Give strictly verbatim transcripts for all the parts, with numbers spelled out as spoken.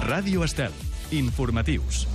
Ràdio Estel. Informatius.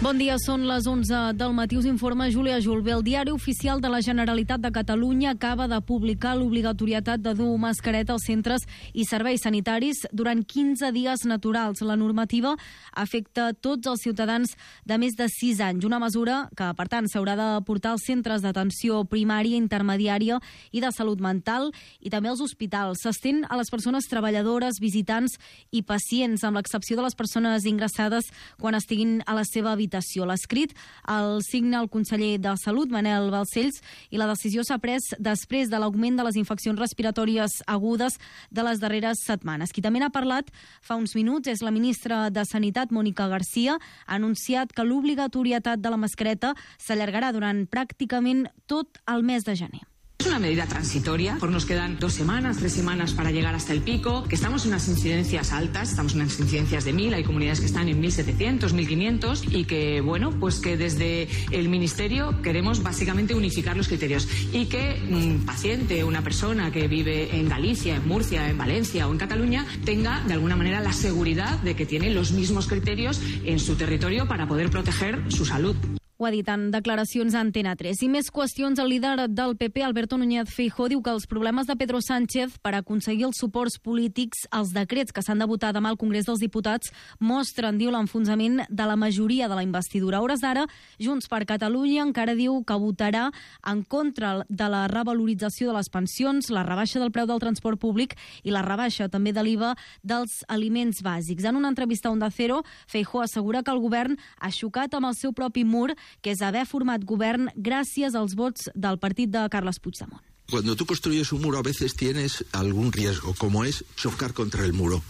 Bon dia, són les onze del matí. Us informa Júlia Julve. El Diari Oficial de la Generalitat de Catalunya acaba de publicar l'obligatorietat de dur mascareta als centres i serveis sanitaris durant quinze dies naturals. La normativa afecta tots els ciutadans de més de sis anys. Una mesura que, per tant, s'haurà de portar als centres d'atenció primària, intermediària i de salut mental i també als hospitals. S'estén a les persones treballadores, visitants i pacients, amb l'excepció de les persones ingressades quan estiguin a la seva habitació. L'escrit el signa el conseller de Salut, Manel Balcells, i la decisió s'ha pres després de l'augment de les infeccions respiratòries agudes de les darreres setmanes. Qui també n'ha parlat fa uns minuts és la ministra de Sanitat, Mónica García. Ha anunciat que l'obligatorietat de la mascareta s'allargarà durant pràcticament tot el mes de gener. Es una medida transitoria, por nos quedan dos semanas, tres semanas para llegar hasta el pico, que estamos en unas incidencias altas, estamos en unas incidencias de mil, hay comunidades que están en mil setecientos, mil quinientos y que, bueno, pues que desde el Ministerio queremos básicamente unificar los criterios y que un paciente, una persona que vive en Galicia, en Murcia, en Valencia o en Cataluña tenga de alguna manera la seguridad de que tiene los mismos criterios en su territorio para poder proteger su salud. Ho ha dit en declaracions a Antena tres. I més qüestions. El líder del P P, Alberto Núñez Feijóo, diu que els problemes de Pedro Sánchez per aconseguir els suports polítics als decrets que s'han de votar demà al Congrés dels Diputats mostren, diu, l'enfonsament de la majoria de la investidura. A hores d'ara, Junts per Catalunya encara diu que votarà en contra de la revalorització de les pensions, la rebaixa del preu del transport públic i la rebaixa també de l'I V A dels aliments bàsics. En una entrevista a Onda Cero, Feijóo assegura que el govern ha xocat amb el seu propi mur, que és haver format govern gràcies als vots del partit de Carles Puigdemont. Cuando tú construyes un muro a veces tienes algún riesgo, como es chocar contra el muro.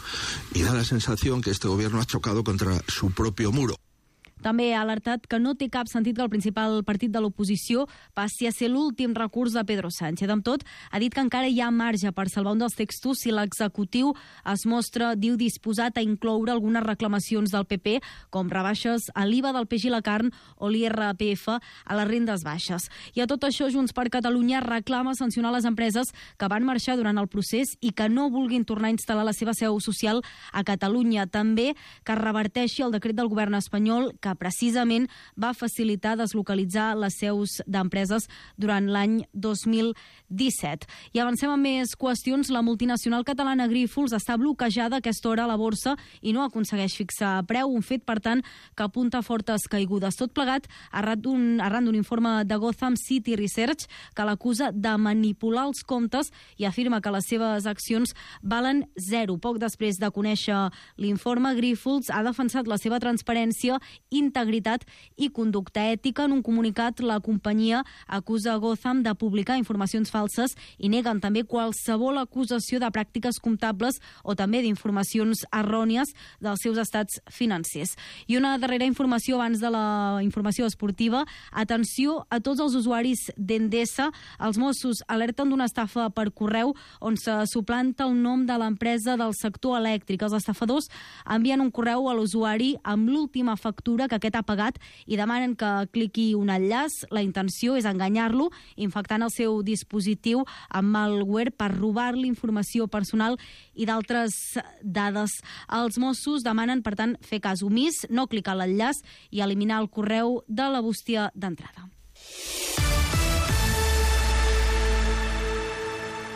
Y da la sensación que este gobierno ha chocado contra su propio muro. També ha alertat que no té cap sentit que el principal partit de l'oposició passi a ser l'últim recurs de Pedro Sánchez. Amb tot, ha dit que encara hi ha marge per salvar un dels textos si l'executiu es mostra, diu, disposat a incloure algunes reclamacions del P P, com rebaixes a l'I V A del peix i la carn o l'I R P F a les rendes baixes. I a tot això, Junts per Catalunya reclama sancionar les empreses que van marxar durant el procés i que no vulguin tornar a instal·lar la seva seu social a Catalunya. També que es reverteixi el decret del govern espanyol que precisament va facilitar deslocalitzar les seus d'empreses durant l'any dos mil disset. I avancem amb més qüestions. La multinacional catalana Grífols està bloquejada a aquesta hora a la borsa i no aconsegueix fixar preu, un fet, per tant, que apunta a fortes caigudes. Tot plegat arran d'un, arran d'un informe de Gotham City Research que l'acusa de manipular els comptes i afirma que les seves accions valen zero. Poc després de conèixer l'informe, Grífols ha defensat la seva transparència, integritat i conducta ètica. En un comunicat, la companyia acusa Gotham de publicar informacions falses i neguen també qualsevol acusació de pràctiques comptables o també d'informacions errònies dels seus estats financers. I una darrera informació abans de la informació esportiva. Atenció a tots els usuaris d'Endesa. Els Mossos alerten d'una estafa per correu on se suplanta el nom de l'empresa del sector elèctric. Els estafadors envien un correu a l'usuari amb l'última factura que aquest ha pagat i demanen que cliqui un enllaç. La intenció és enganyar-lo, infectant el seu dispositiu amb malware per robar-li informació personal i d'altres dades. Els Mossos demanen, per tant, fer cas omís, no clicar a l'enllaç i eliminar el correu de la bústia d'entrada.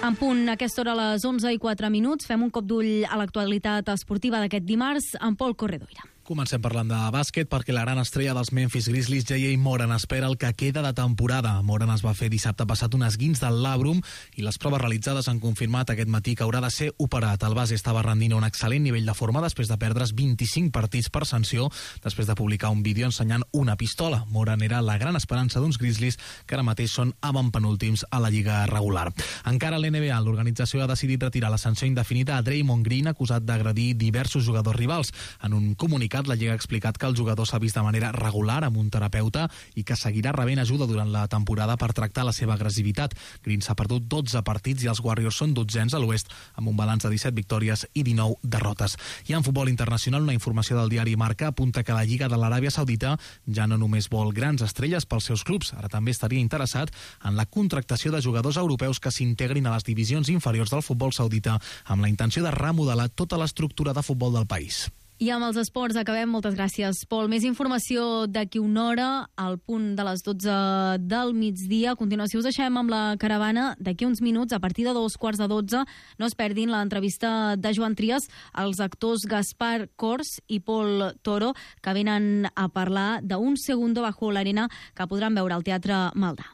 En punt, a aquesta hora, a les onze i quatre minuts, fem un cop d'ull a l'actualitat esportiva d'aquest dimarts amb Pol Corredoira. Comencem parlant de bàsquet perquè la gran estrella dels Memphis Grizzlies, J A Moran, espera el que queda de temporada. Moran es va fer dissabte passat un esguins del làbrum i les proves realitzades han confirmat aquest matí que haurà de ser operat. El base estava rendint un excel·lent nivell de forma després de perdre's vint-i-cinc partits per sanció després de publicar un vídeo ensenyant una pistola. Moran era la gran esperança d'uns Grizzlies que ara mateix són avantpenúltims a la lliga regular. Encara a l'N B A, l'organització ha decidit retirar la sanció indefinida a Draymond Green, acusat d'agredir diversos jugadors rivals. En un comunicat, comunicat, la Lliga ha explicat que el jugador s'ha vist de manera regular amb un terapeuta i que seguirà rebent ajuda durant la temporada per tractar la seva agressivitat. Green s'ha perdut dotze partits i els Warriors són dotzens a l'oest, amb un balanç de disset victòries i dinou derrotes. I en futbol internacional, una informació del diari Marca apunta que la Lliga de l'Aràbia Saudita ja no només vol grans estrelles pels seus clubs, ara també estaria interessat en la contractació de jugadors europeus que s'integrin a les divisions inferiors del futbol saudita amb la intenció de remodelar tota l'estructura de futbol del país. I amb els esports acabem. Moltes gràcies, Pol. Més informació d'aquí una hora, al punt de les dotze del migdia. A continuació us deixem amb la caravana. D'aquí uns minuts, a partir de dos quarts de dotze, no es perdin l'entrevista de Joan Trias als actors Gaspar Cors i Pol Toro, que venen a parlar d'un segundo bajo l'arena que podran veure al Teatre Maldà.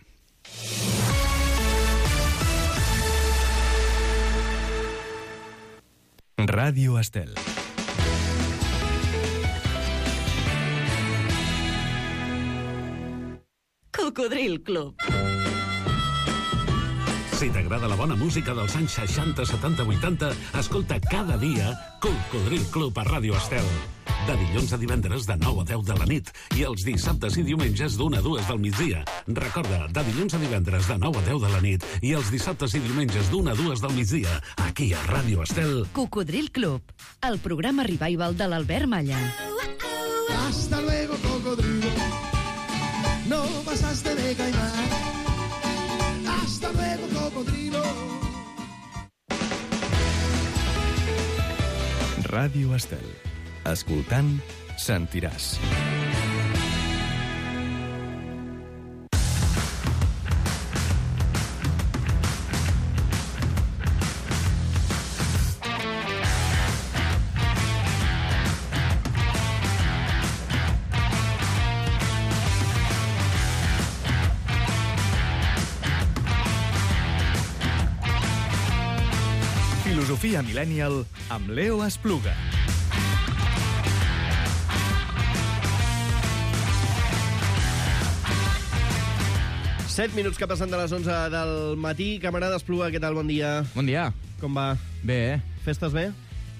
Ràdio Estel. Cocodril Club. Si t'agrada la bona música dels anys seixanta, setanta, vuitanta, escolta cada dia Cocodril Club a Ràdio Estel. De dilluns a divendres de nou a deu de la nit i els dissabtes i diumenges d'una a dues del migdia. Recorda, de dilluns a divendres de nou a deu de la nit i els dissabtes i diumenges d'una a dues del migdia, aquí a Ràdio Estel. Cocodril Club, el programa revival de l'Albert Malla. Hasta luego, cocodrilo. No pasaste de caimán. Hasta luego, cocodrilo. Ràdio Estel. Escoltant, sentiràs. Filosofia Millennial amb Leo Espluga. set minuts que passen de les onze del matí. Camarada Espluga, què tal? Bon dia. Bon dia. Com va? Bé, eh? Festes bé?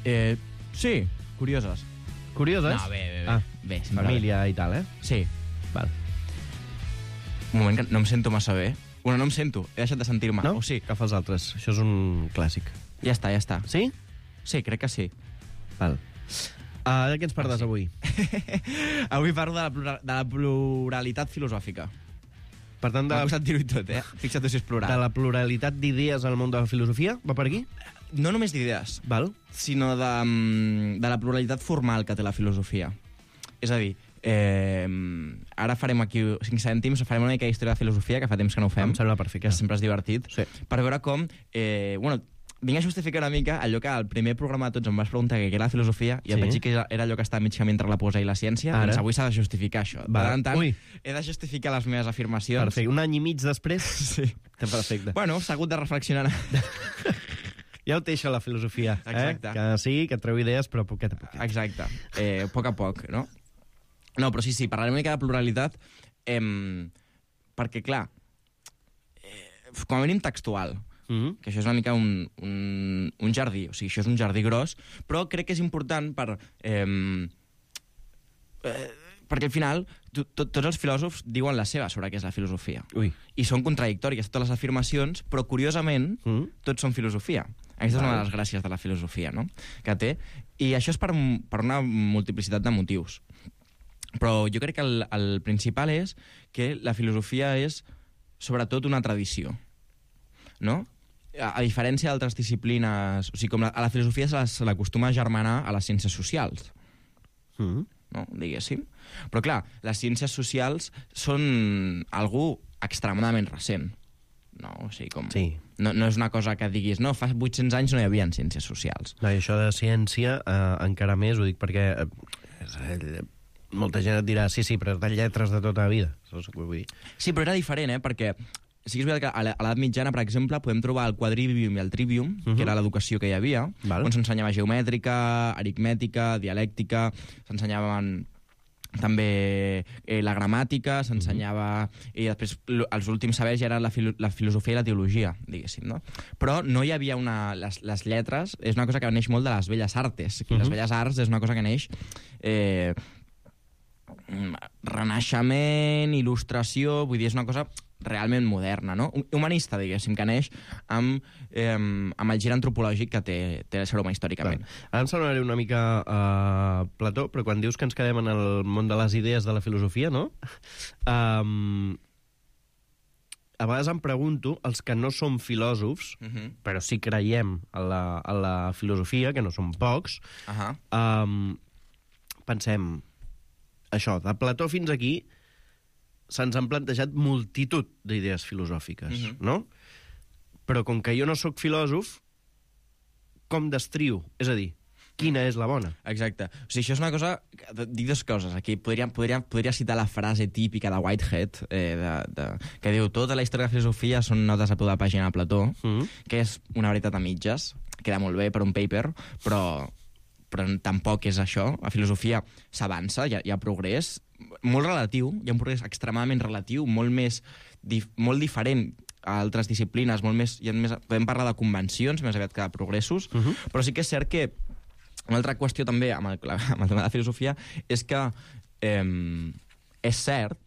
Eh, sí, curioses. Curioses? No, bé, bé, bé. Ah, bé família bé. I tal, eh? Sí. Val. Un moment, que no em sento massa bé. Bueno, no em sento, he deixat de sentir-me. No? O sí. Que fa els altres. Això és un clàssic. Ja està, ja està. Sí? Sí, crec que sí. Val. Uh, de què ens parles ah, sí. avui? Avui parlo de la, plural, de la pluralitat filosòfica. Per tant, de... m'ha costat dir-ho tot, eh? Fixa't si és plural. De la pluralitat d'idees al món de la filosofia? Va per aquí? No només d'idees, Val. sinó de, de la pluralitat formal que té la filosofia. És a dir, eh, ara farem aquí cinc cèntims, farem una mica d'història de filosofia, que fa temps que no ho fem. Em sembla perfecte. Que sempre és divertit. Sí. Per veure com... Eh, bueno, vinc a justificar una mica allò que al primer programa de tots em vas preguntar què era la filosofia i sí. em vaig dir que era allò que està mig camí entre la poesia i la ciència. Ara. Doncs avui s'ha de justificar això. Va. De tant en tant, Ui. he de justificar les meves afirmacions. Perfecte. Un any i mig després? Sí. Perfecte. Bueno, s'ha hagut de reflexionar. Ja ho té això, la filosofia. Exacte. Eh? Que sí, que et treu idees, però poquet a poquet. Exacte. Eh, a poc a poc, no? No, però sí, sí, parlarem una mica de pluralitat eh, perquè, clar, eh, com a mínim textual, Mm-hmm. que això és una mica un, un, un jardí, o sigui, això és un jardí gros, però crec que és important per... Eh, eh, perquè al final to, to, tots els filòsofs diuen la seva sobre què és la filosofia. Ui. I són contradictòries totes les afirmacions, però curiosament mm. tots són filosofia. Aquesta és una de les gràcies de la filosofia, no?, que té. I això és per, per una multiplicitat de motius. Però jo crec que el, el principal és que la filosofia és sobretot una tradició, no? A, a diferència d'altres disciplines... O sigui, com la, a la filosofia se l'acostuma a germanar a les ciències socials. Mm. No? Diguéssim. Però, clar, les ciències socials són algú extremadament recent. No? O sigui, com... Sí. No, no és una cosa que diguis, no, fa vuit-cents anys no hi havia ciències socials. No, i això de ciència, eh, encara més, ho dic perquè eh, molta gent et dirà, sí, sí, però de lletres de tota la vida. Això és el que vull dir. Sí, però era diferent, eh? Perquè sí que és veritat que a l'edat mitjana, per exemple, podem trobar el quadrivium i el trivium, uh-huh. que era l'educació que hi havia, Val. on s'ensenyava geomètrica, aritmètica, dialèctica, s'ensenyaven també eh, la gramàtica, s'ensenyava... I després els últims sabers ja eren la, filo la filosofia i la teologia, diguéssim, no? Però no hi havia una... Les, les lletres és una cosa que neix molt de les belles artes. Uh -huh. Les belles arts és una cosa que neix... Eh, renaixement, il·lustració... Vull dir, és una cosa realment moderna, no? Humanista, diguéssim, que neix amb, eh, amb el gir antropològic que té, té el ser humà històricament. Clar. Ara em sonaré una mica a uh, Plató, però quan dius que ens quedem en el món de les idees de la filosofia, no? Um, a vegades em pregunto, els que no som filòsofs, uh -huh. però sí creiem en la, en la filosofia, que no som pocs, uh -huh. um, pensem, això, de Plató fins aquí, se'ns han plantejat multitud d'idees filosòfiques, uh-huh. no? Però com que jo no sóc filòsof, com destrio? És a dir, quina és la bona? Exacte. O sigui, això és una cosa... Dic dues coses. Aquí podria, podria, podria citar la frase típica de Whitehead, eh, de, de, que diu tota la història de la filosofia són notes a peu de pàgina de Plató, uh-huh. que és una veritat a mitges. Queda molt bé per un paper, però... però tampoc és això. La filosofia s'avança, hi, hi ha progrés molt relatiu, hi ha un progrés extremadament relatiu, molt més dif molt diferent a altres disciplines, molt més, hi ha més, podem parlar de convencions més aviat que de progressos, uh -huh. però sí que és cert que una altra qüestió també amb el, amb el tema de la filosofia és que eh, és cert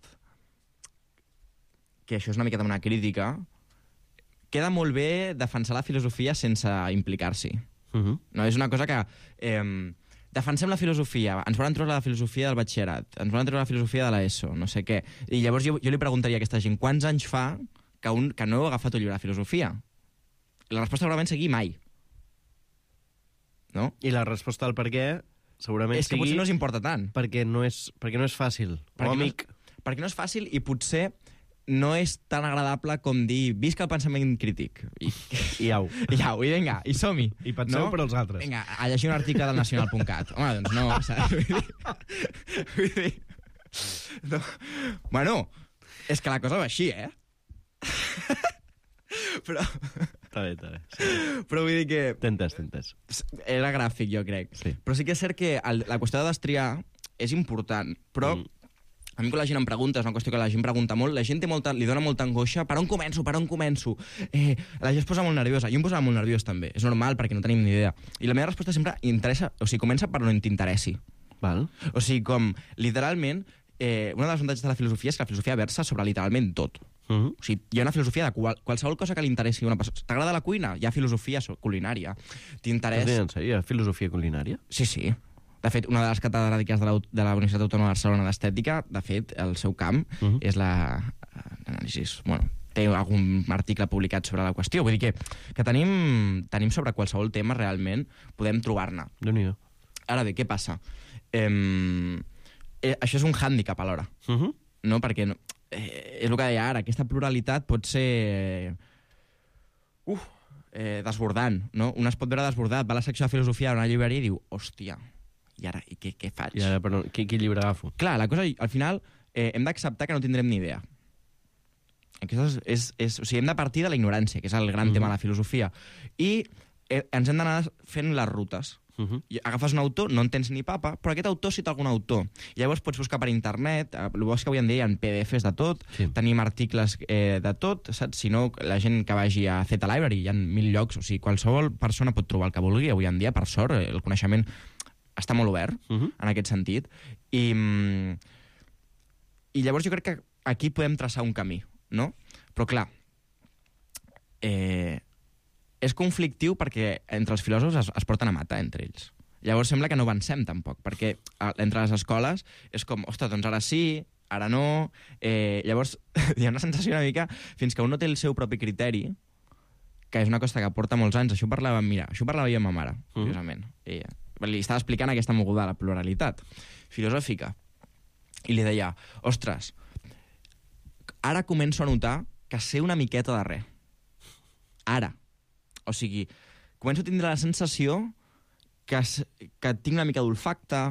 que això és una miqueta una crítica, queda molt bé defensar la filosofia sense implicar-s'hi. Uh-huh. No, és una cosa que eh, defensem la filosofia, ens volen treure la filosofia del batxillerat, ens volen treure la filosofia de l'ESO, no sé què, i llavors jo, jo li preguntaria a aquesta gent quants anys fa que, un, que no heu agafat un llibre de filosofia? I la resposta segurament sigui mai, no? I la resposta al per què segurament és que sigui potser no us importa tant, perquè no és, perquè no és fàcil, perquè o amic no, perquè no és fàcil i potser no és tan agradable com dir visca el pensament crític. I, I au. I au, i vinga, i som-hi. I penseu no? per als altres. Vinga, a llegir un article del nacional punt cat. Home, doncs no, saps? Vull dir... Vull dir... No. Bueno, és que la cosa va així, eh? Però... Està bé, està bé. Sí. Però vull dir que... T'entès, t'entès. Era gràfic, jo crec. Sí. Però sí que és cert que el, la qüestió de destriar és important, però... Mm. A mi quan la gent em pregunta, és una qüestió que la gent pregunta molt, la gent té molta, li dona molta angoixa, per on començo, per on començo? Eh, la gent es posa molt nerviosa, jo em posava molt nerviós també, és normal perquè no tenim ni idea. I la meva resposta sempre interessa, o sigui, comença per on t'interessi. Val. O sigui, com, literalment, eh, una de les avantatges de la filosofia és que la filosofia versa sobre literalment tot. Uh-huh. O sigui, hi ha una filosofia de qual, qualsevol cosa que li interessi a una persona. T'agrada la cuina? Hi ha filosofia culinària. T'interessa... En sèrio, hi ha filosofia culinària? Sí, sí. De fet, una de les catedràtiques de la, de la Universitat Autònoma de Barcelona d'Estètica, de fet, el seu camp uh-huh. és l'anàlisi... Bueno, té algun article publicat sobre la qüestió. Vull dir que, que tenim, tenim sobre qualsevol tema, realment, podem trobar-ne. Déu-n'hi-do. Ara bé, què passa? Eh, eh, això és un hàndicap alhora. Uh-huh. No? Perquè no, eh, és el que deia ara, aquesta pluralitat pot ser... Uf, eh, desbordant, no? Un es pot veure desbordat, va a la secció de filosofia a una llibreria i diu, hòstia, i ara, i què, què faig? I ara, però, qui, qui llibre agafo? Clar, la cosa, al final, eh, hem d'acceptar que no tindrem ni idea. Aquesta és, és, és, o sigui, hem de partir de la ignorància, que és el gran uh-huh. tema de la filosofia. I eh, ens hem d'anar fent les rutes. Uh-huh. I agafes un autor, no entens ni papa, però aquest autor cita algun autor. I llavors pots buscar per internet, el bo és que avui en dia hi ha P D Fs de tot, sí. tenim articles eh, de tot, saps? Si no, la gent que vagi a Zeta Library, hi ha mil llocs, o sigui, qualsevol persona pot trobar el que vulgui. Avui en dia, per sort, el coneixement està molt obert, uh-huh. en aquest sentit. I, I llavors jo crec que aquí podem traçar un camí, no? Però clar, eh, és conflictiu perquè entre els filòsofs es, es porten a matar entre ells. Llavors sembla que no avancem tampoc, perquè a, entre les escoles és com, ostres, doncs ara sí, ara no... Eh, llavors hi ha una sensació una mica, fins que un no té el seu propi criteri, que és una cosa que porta molts anys. Això ho parlava, mira, això ho parlava jo amb ma mare, uh-huh. curiosament. Ella li estava explicant aquesta moguda de la pluralitat filosòfica. I li deia, ostres, ara començo a notar que sé una miqueta de res. Ara. O sigui, començo a tindre la sensació que, que tinc una mica d'olfacte,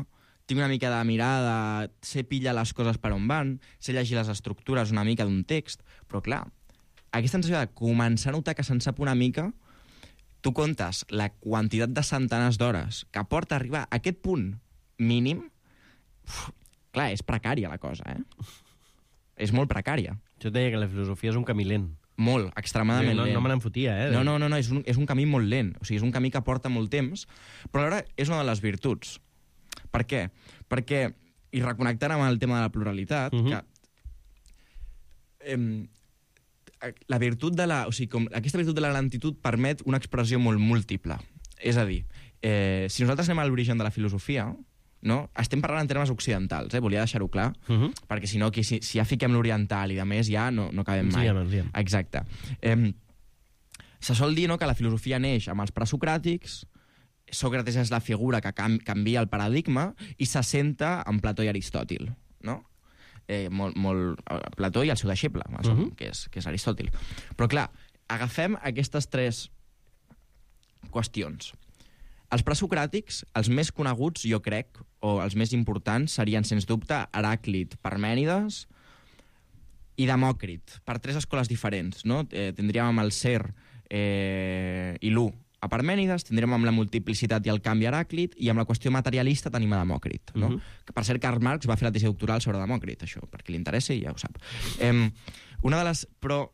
tinc una mica de mirada, sé pillar les coses per on van, sé llegir les estructures una mica d'un text, però clar, aquesta sensació de començar a notar que se'n sap una mica, tu comptes la quantitat de centenars d'hores que porta a arribar a aquest punt mínim, uf, Clar, és precària la cosa, eh? És molt precària. Jo deia que la filosofia és un camí lent. Molt, extremadament no, lent. No me n'en fotia, eh? No, no, no, no és, un, és un camí molt lent. O sigui, és un camí que porta molt temps, però alhora és una de les virtuts. Per què? Perquè, i reconnectant amb el tema de la pluralitat, uh-huh. que eh, la virtut de la... O sigui, com, aquesta virtut de la lentitud permet una expressió molt múltiple. És a dir, eh, si nosaltres anem a l'origen de la filosofia, no? Estem parlant en termes occidentals, eh? Volia deixar-ho clar, uh-huh. perquè si no, aquí, si, si ja fiquem l'oriental i de més, ja no, no acabem mai. Sí, sí. Exacte. Eh, se sol dir, no, que la filosofia neix amb els presocràtics, Sòcrates és la figura que cam canvia el paradigma i s'assenta en Plató i Aristòtil, no? Eh, molt, molt, Plató i el seu deixeble, uh -huh. que, és, que és Aristòtil. Però clar, agafem aquestes tres qüestions. Els presocràtics, els més coneguts, jo crec, o els més importants, serien, sens dubte, Heràclit, Parmènides i Demòcrit, per tres escoles diferents, no? Eh, tindríem amb el ser eh, i l'u a Parmènides, tindrem amb la multiplicitat i el canvi Heràclit, i amb la qüestió materialista tenim a Demòcrit, no? Uh-huh. Que, per cert, Karl Marx va fer la tesi doctoral sobre Demòcrit, això, perquè li interessa i ja ho sap. Eh, una de les... Però,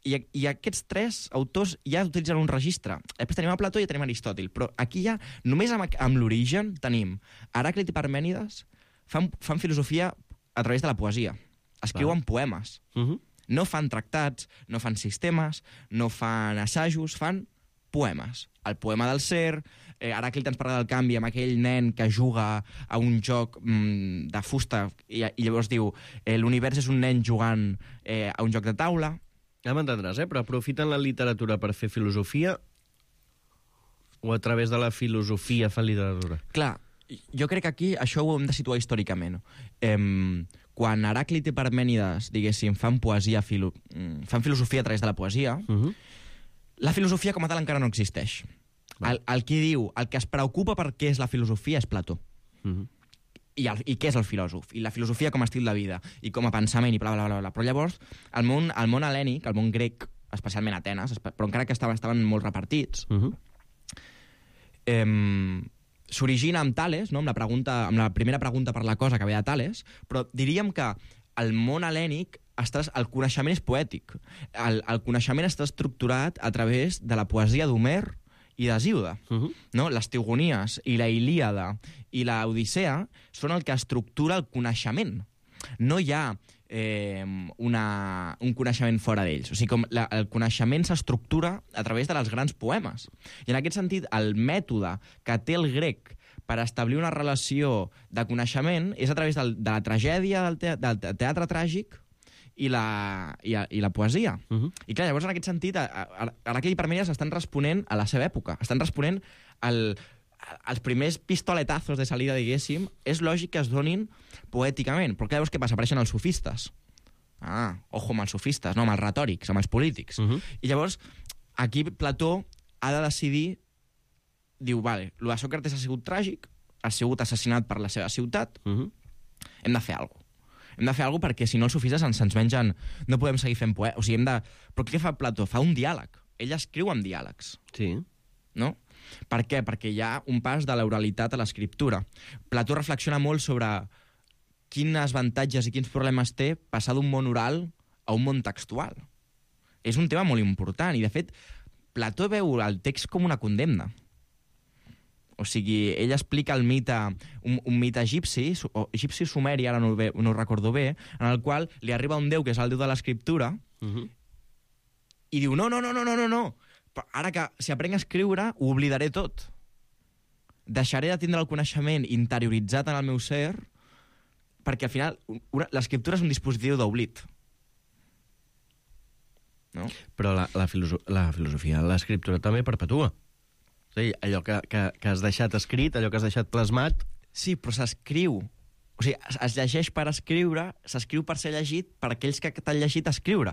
i, i aquests tres autors ja utilitzen un registre. Després tenim a Plató i tenim a Aristòtil, però aquí ja, només amb, amb l'origen, tenim Heràclit i Parmènides fan, fan filosofia a través de la poesia. Escriuen Va. poemes. Uh-huh. No fan tractats, no fan sistemes, no fan assajos, fan poemes. El poema del ser, eh, Heràclit ens parla del canvi amb aquell nen que juga a un joc mm, de fusta i, i llavors diu eh, l'univers és un nen jugant eh, a un joc de taula. Ja m'entendràs, eh? Però aprofiten la literatura per fer filosofia o a través de la filosofia fan literatura? Clar, jo crec que aquí això ho hem de situar històricament. Eh, quan Heràclit i Parmènides, diguéssim, fan poesia, filo fan filosofia a través de la poesia, uh-huh. la filosofia com a tal encara no existeix. El, el qui diu, el que es preocupa per què és la filosofia és Plató. Uh-huh. I, el, I què és el filòsof? I la filosofia com a estil de vida, i com a pensament, i bla, bla, bla, bla. Però llavors, el món, el món hel·lènic, el món grec, especialment Atenes, però encara que estaven, estaven molt repartits, uh-huh. eh, s'origina amb Tales, no? amb, la pregunta, amb la primera pregunta per la cosa que ve de Tales, però diríem que el món hel·lènic Estàs, el coneixement és poètic. El, el coneixement està estructurat a través de la poesia d'Homer i d'Hesíode. Uh-huh. No? Les Teogonies i la Ilíada i la Odissea són el que estructura el coneixement. No hi ha eh, una, un coneixement fora d'ells. O sigui, com la, el coneixement s'estructura a través de les grans poemes. I en aquest sentit, el mètode que té el grec per establir una relació de coneixement és a través del, de la tragèdia, del, te, del teatre tràgic, i la, i, i la poesia. Uh-huh. I clar, llavors en aquest sentit Heràclit i Parmènides estan responent a la seva època, estan responent al, als primers pistoletazos de salida, diguéssim. És lògic que es donin poèticament, però clar, llavors què passa? Apareixen els sofistes. Ah, ojo amb els sofistes, no, amb els retòrics, amb els polítics. Uh-huh. I llavors aquí Plató ha de decidir, diu, vale, el de Sòcrates ha sigut tràgic, ha sigut assassinat per la seva ciutat, uh-huh. hem de fer alguna cosa. Hem de fer alguna cosa perquè si no els sofistes ens, ens mengen... No podem seguir fent poesia. O sigui, hem de... Però què fa Plató? Fa un diàleg. Ell escriu amb diàlegs. Sí. No? Per què? Perquè hi ha un pas de l'oralitat a l'escriptura. Plató reflexiona molt sobre quins avantatges i quins problemes té passar d'un món oral a un món textual. És un tema molt important i, de fet, Plató veu el text com una condemna. O sigui, ell explica el mite, un, un mite egipci, o egipci sumeri, ara no, ho, no ho recordo bé, en el qual li arriba un déu que és el déu de l'escriptura, uh-huh. i diu, no, no, no, no, no, no, no. Ara que si aprenc a escriure, ho oblidaré tot. Deixaré de tindre el coneixement interioritzat en el meu ser, perquè al final l'escriptura és un dispositiu d'oblit. No? Però la, la, filoso la filosofia, l'escriptura també perpetua. Sí, allò que, que, que has deixat escrit, allò que has deixat plasmat... Sí, però s'escriu. O sigui, es, es llegeix per escriure, s'escriu per ser llegit per aquells que t'han llegit escriure.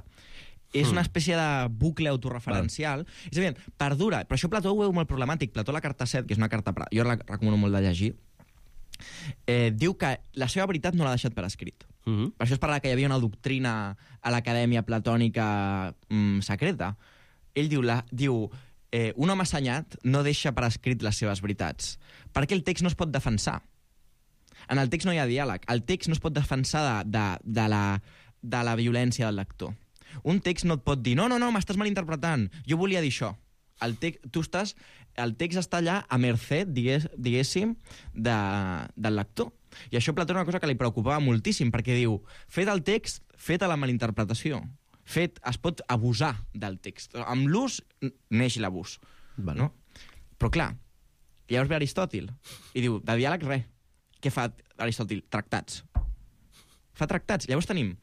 És mm. una espècie de bucle autoreferencial. Val. És evident, perdura. Però això Plató ho veu molt problemàtic. Plató, la carta set, que és una carta... Jo la recomano molt de llegir, eh, diu que la seva veritat no l'ha deixat per escrit. Mm-hmm. Per això es parla que hi havia una doctrina a l'acadèmia platònica mm, secreta. Ell diu... La, diu Eh, un home assenyat no deixa per escrit les seves veritats, perquè el text no es pot defensar. En el text no hi ha diàleg. El text no es pot defensar de, de, de, la, de la violència del lector. Un text no et pot dir, no, no, no, m'estàs malinterpretant, jo volia dir això. El, text, tu estàs, el text està allà a mercè, digués, diguéssim, de, del lector. I això Plató és una cosa que li preocupava moltíssim, perquè diu, fet el text, feta la malinterpretació. Fet, es pot abusar del text. Amb l'ús neix l'abús. Vale. No? Però clar, llavors ve Aristòtil i diu, de diàleg res. Què fa Aristòtil? Tractats. Fa tractats. Llavors tenim,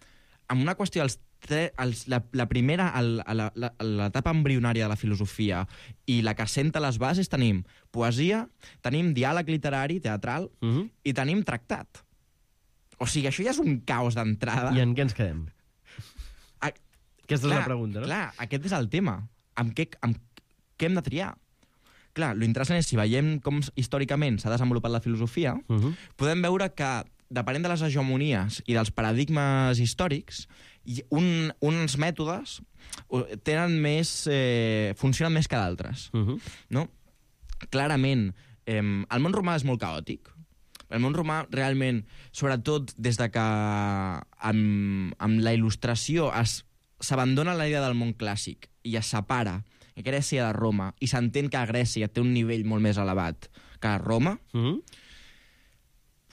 amb una qüestió, els tre, els, la, la primera, el, la, la, l'etapa embrionària de la filosofia i la que assenta les bases, tenim poesia, tenim diàleg literari, teatral, uh-huh. i tenim tractat. O sigui, això ja és un caos d'entrada. I en què ens quedem? A, Aquesta clar, és la pregunta, no? Clar, aquest és el tema. Amb què, amb què hem de triar? Clar, l'interessant és, si veiem com històricament s'ha desenvolupat la filosofia, uh-huh. podem veure que, depenent de les hegemonies i dels paradigmes històrics, un, uns mètodes tenen més, eh, funcionen més que d'altres. Uh-huh. No? Clarament, eh, el món romà és molt caòtic. El món romà, realment, sobretot des de que amb, amb la il·lustració es, s'abandona la idea del món clàssic i es separa Grècia de Roma, i s'entén que Grècia té un nivell molt més elevat que Roma, uh-huh.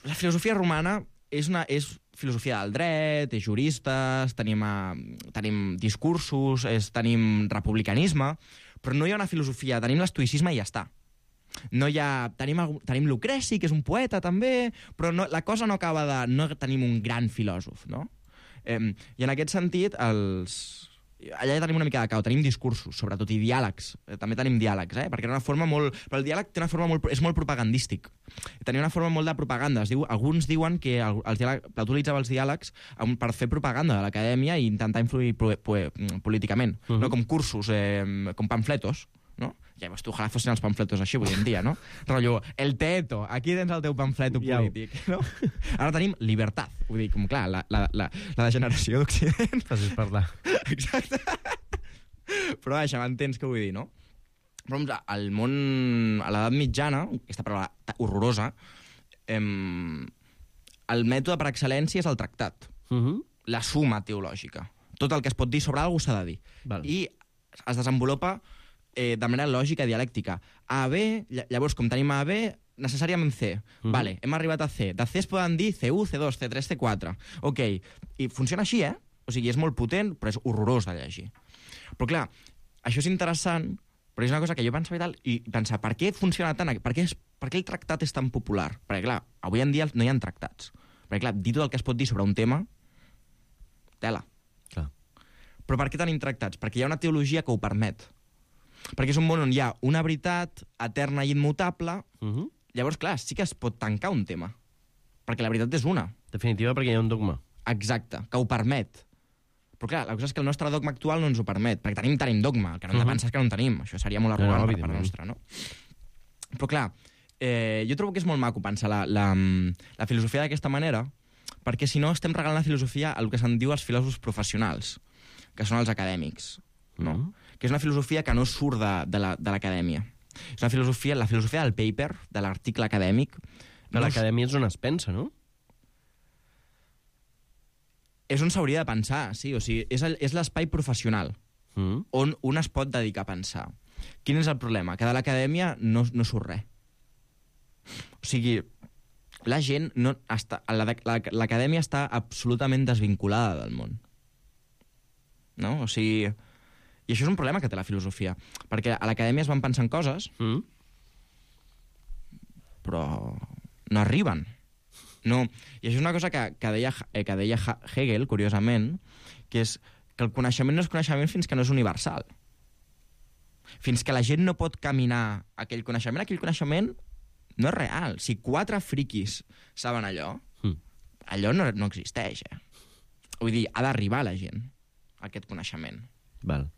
la filosofia romana és, una, és filosofia del dret, és juristes, tenim, uh, tenim discursos, és, tenim republicanisme, però no hi ha una filosofia, tenim l'estoïcisme i ja està. No hi ha, tenim, tenim Lucreci, que és un poeta també, però no, la cosa no acaba de... No tenim un gran filòsof, no? Eh, I en aquest sentit, els... allà ja tenim una mica de cau, tenim discursos, sobretot, i diàlegs. Eh, també tenim diàlegs, eh? Perquè era una forma molt... Però el diàleg té una forma molt... és molt propagandístic. Tenia una forma molt de propaganda. Es diu, alguns diuen que el, els diàleg, Plató utilitzava els diàlegs per fer propaganda de l'acadèmia i intentar influir po, po, políticament. Uh-huh. No? Com cursos, eh, com pamfletos, no? Llavors tu, ojalà fossin els pamfletos així avui en dia, no? Rotllo, el teto, aquí tens el teu pamfleto polític, no? Ara tenim llibertat. Vull dir, com clar, la, la, la, la degeneració d'Occident... Fàcil parlar. Exacte. Però això, m'entens què vull dir, no? Però al món... a l'edat mitjana, aquesta paraula horrorosa, em, el mètode per excel·lència és el tractat. Uh-huh. La suma teològica. Tot el que es pot dir sobre alguna cosa s'ha de dir. Val. I es desenvolupa eh, de manera lògica i dialèctica. A, B, llavors, com tenim A, B, necessàriament C. Uh-huh. Vale, hem arribat a C. De C es poden dir C u, C dos, C tres, C quatre. Ok. I funciona així, eh? O sigui, és molt potent, però és horrorós de llegir. Però clar, això és interessant, però és una cosa que jo pensava i tal, i pensar, per què funciona tant? Per què, és, per què el tractat és tan popular? Perquè clar, avui en dia no hi ha tractats. Perquè clar, dir tot el que es pot dir sobre un tema, tela. Clar. Però per què tenim tractats? Perquè hi ha una teologia que ho permet. Perquè és un món on hi ha una veritat eterna i immutable, uh-huh. llavors, clar, sí que es pot tancar un tema. Perquè la veritat és una. Definitiva, perquè hi ha un dogma. Exacte, que ho permet. Però clar, la cosa és que el nostre dogma actual no ens ho permet, perquè tenim, tenim dogma, el que no hem de pensar és que no en tenim. Això seria molt arrogant no, no, per part nostra, no? Però clar, eh, jo trobo que és molt maco pensar la, la, la filosofia d'aquesta manera, perquè si no estem regalant la filosofia al que se'n diu els filòsofs professionals, que són els acadèmics, no? Mm. Que és una filosofia que no surt de, de, la, de l'acadèmia. És una filosofia, la filosofia del paper, de l'article acadèmic... De l'acadèmia és on es pensa, no? És on s'hauria de pensar, sí. O sigui, és, el, és l'espai professional mm. on un es pot dedicar a pensar. Quin és el problema? Que de l'acadèmia no, no surt res. O sigui, la gent... No està, la, la, l'acadèmia està absolutament desvinculada del món. No? O sigui... I això és un problema que té la filosofia. Perquè a l'acadèmia es van pensant coses, mm. però no arriben. No. I això és una cosa que, que, deia, que deia Hegel, curiosament, que és que el coneixement no és coneixement fins que no és universal. Fins que la gent no pot caminar aquell coneixement, aquell coneixement no és real. Si quatre friquis saben allò, mm. allò no, no existeix. Eh? Vull dir, ha d'arribar a la gent, aquest coneixement. Val.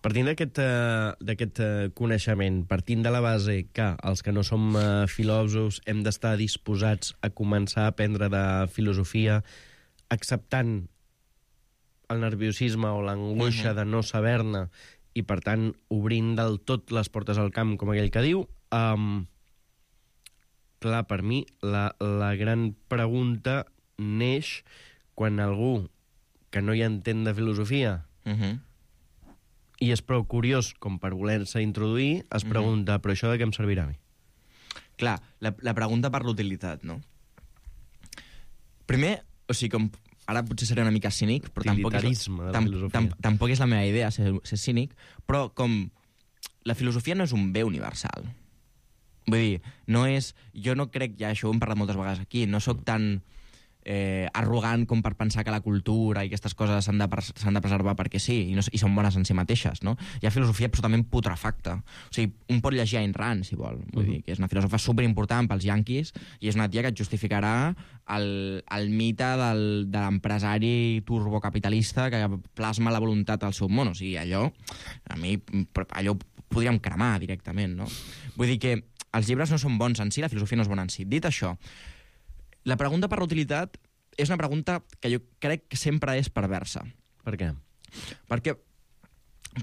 Partint d'aquest, uh, d'aquest uh, coneixement, partint de la base que els que no som uh, filòsofs hem d'estar disposats a començar a aprendre de filosofia, acceptant el nerviosisme o l'angoixa uh-huh. de no saber-ne i, per tant, obrint del tot les portes al camp, com aquell que diu, um, clar, per mi, la, la gran pregunta neix quan algú que no hi entén de filosofia Uh-huh. i és prou curiós com per voler-se introduir, es pregunta, uh-huh. però això de què em servirà a mi? Clar, la, la pregunta per l'utilitat, no? Primer, o sigui, com ara potser seré una mica cínic, però tampoc és, de la tam, filosofia. tam, tampoc és la meva idea ser, ser cínic, però com la filosofia no és un bé universal. Vull dir, no és... Jo no crec, ja això ho hem parlat moltes vegades aquí, no sóc tan eh, arrogant com per pensar que la cultura i aquestes coses s'han de, s'han de preservar perquè sí, i, no, i són bones en si mateixes, no? Hi ha filosofia absolutament putrefacta. O sigui, un pot llegir Ayn Rand, si vol. Vull dir, que és una filòsofa superimportant pels yanquis i és una tia que et justificarà el, el mite del, de l'empresari turbocapitalista que plasma la voluntat al seu món. O sigui, allò, a mi, allò ho podríem cremar directament, no? Vull dir que els llibres no són bons en si, la filosofia no és bona en si. Dit això, la pregunta per l'utilitat és una pregunta que jo crec que sempre és perversa. Per què? Perquè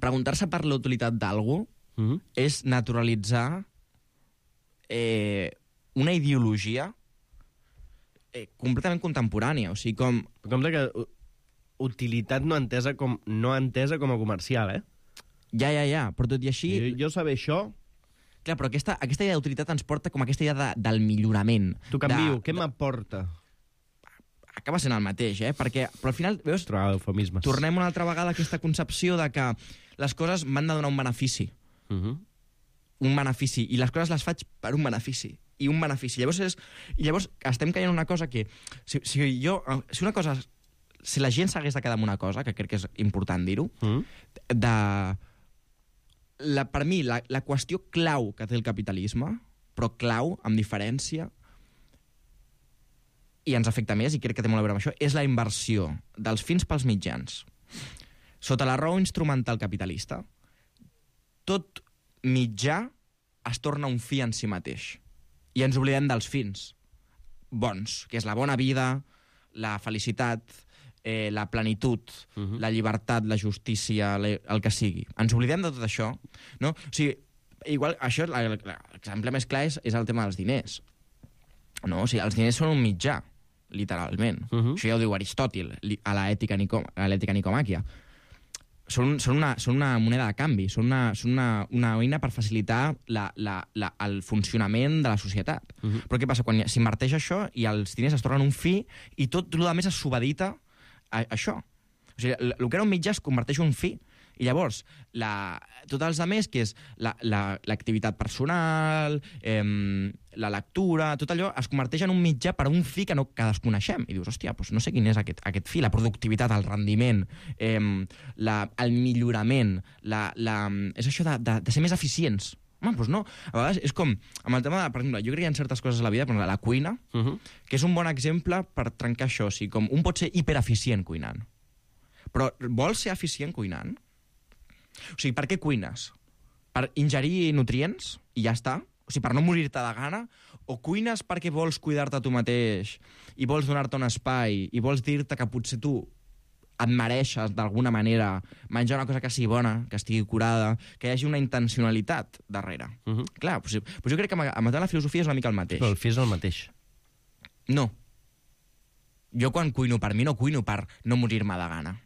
preguntar-se per l'utilitat d'algú mm-hmm. és naturalitzar eh, una ideologia eh, completament contemporània. O sigui, com... Com de que utilitat no entesa com, no entesa com a comercial, eh? Ja, ja, ja, però tot i així... Jo, jo saber això... Clar, però aquesta, aquesta idea d'utilitat ens porta com aquesta idea de, del millorament. T'ho canvio, de, què m'aporta? Acaba sent el mateix, eh? Perquè, però al final, veus, tornem una altra vegada a aquesta concepció de que les coses m'han de donar un benefici. Uh-huh. Un benefici. I les coses les faig per un benefici. I un benefici. Llavors, és, i llavors estem caient en una cosa que... Si, si, jo, si una cosa... Si la gent s'hagués de quedar amb una cosa, que crec que és important dir-ho, uh-huh. de... La, per mi, la, la qüestió clau que té el capitalisme, però clau, amb diferència, i ens afecta més, i crec que té molt a veure amb això, és la inversió dels fins pels mitjans. Sota la raó instrumental capitalista, tot mitjà es torna un fi en si mateix. I ens oblidem dels fins bons, que és la bona vida, la felicitat... Eh, la plenitud, uh-huh. la llibertat, la justícia, la, el que sigui. Ens oblidem de tot això, no? O sigui, igual, això, l'exemple més clar és, és el tema dels diners. No? O sigui, els diners són un mitjà, literalment. Uh-huh. Això ja ho diu Aristòtil, a l'ètica Nicomàquia. Són, són, una, són una moneda de canvi, són una, són una, una eina per facilitar la, la, la, el funcionament de la societat. Uh-huh. Però què passa? Quan s'inverteix això i els diners es tornen un fi i tot el més es subedita a això. O sigui, el que era un mitjà es converteix en un fi. I llavors, la, tots els altres, que és l'activitat la, la, personal, eh, la lectura, tot allò es converteix en un mitjà per a un fi que no que desconeixem. I dius, hòstia, doncs no sé quin és aquest, aquest fi, la productivitat, el rendiment, eh, la, el millorament, la, la, és això de, de, de ser més eficients. Home, doncs no. A vegades és com, amb el tema de, per exemple, jo crec que hi ha certes coses a la vida, per exemple, la cuina, uh-huh. que és un bon exemple per trencar això. O sigui, com un pot ser hipereficient cuinant. Però vols ser eficient cuinant? O sigui, per què cuines? Per ingerir nutrients i ja està? O sigui, per no morir-te de gana? O cuines perquè vols cuidar-te tu mateix i vols donar-te un espai i vols dir-te que potser tu et mereixes, d'alguna manera, menjar una cosa que sigui bona, que estigui curada, que hi hagi una intencionalitat darrere. Uh-huh. Clar, doncs, doncs jo crec que amb la filosofia és una mica el mateix. Però el fi és el mateix. No. Jo quan cuino per mi no cuino per no morir-me de gana.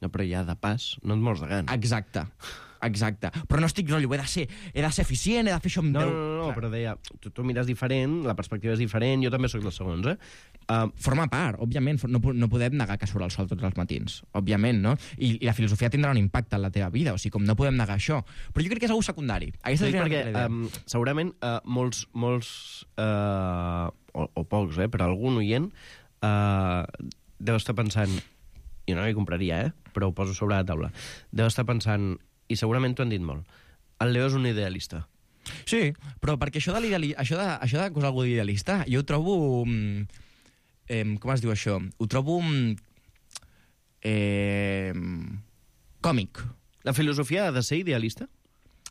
No, però ja de pas no et mors de gana. Exacte. Exacte. Però no estic rotllo, he de ser, he de ser eficient, he de fer això amb no, Déu. No, no, no, però deia, tu, tu mires diferent, la perspectiva és diferent, jo també sóc dels segons, eh? Uh, Forma part, òbviament, no, no podem negar que surt el sol tots els matins, òbviament, no? I, I la filosofia tindrà un impacte en la teva vida, o sigui, com no podem negar això. Però jo crec que és algú secundari. Sí, perquè um, segurament uh, molts, molts uh, o, o pocs, eh, però algun oient uh, deu estar pensant, jo no m'hi compraria, eh, però ho poso sobre la taula, deu estar pensant, i segurament t'ho han dit molt, el Leo és un idealista. Sí, però perquè això de l'idealista, això de, això de cosa algú idealista, jo ho trobo... Eh, com es diu això? Ho trobo... Eh, còmic. La filosofia ha de ser idealista?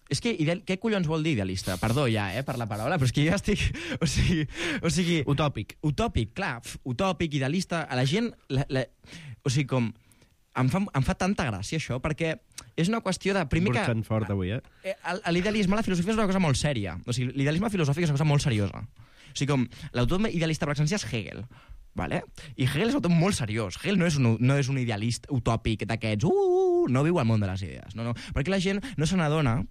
És que, ideal, què collons vol dir idealista? Perdó ja, eh, per la paraula, però és que jo estic... O sigui... O sigui utòpic. Utòpic, clar. Utòpic, idealista... A la gent... La, la, o sigui, com... em fa, em fa tanta gràcia això, perquè és una qüestió de... Primer que... Burxant fort avui, eh? L'idealisme, la filosofia és una cosa molt sèria. O sigui, l'idealisme filosòfic és una cosa molt seriosa. O sigui, com l'autor idealista per excel·lència és Hegel, vale? I Hegel és un autor molt seriós. Hegel no és un, no és un idealista utòpic d'aquests, uh, uh, no viu al món de les idees. No, no. Perquè la gent no se n'adona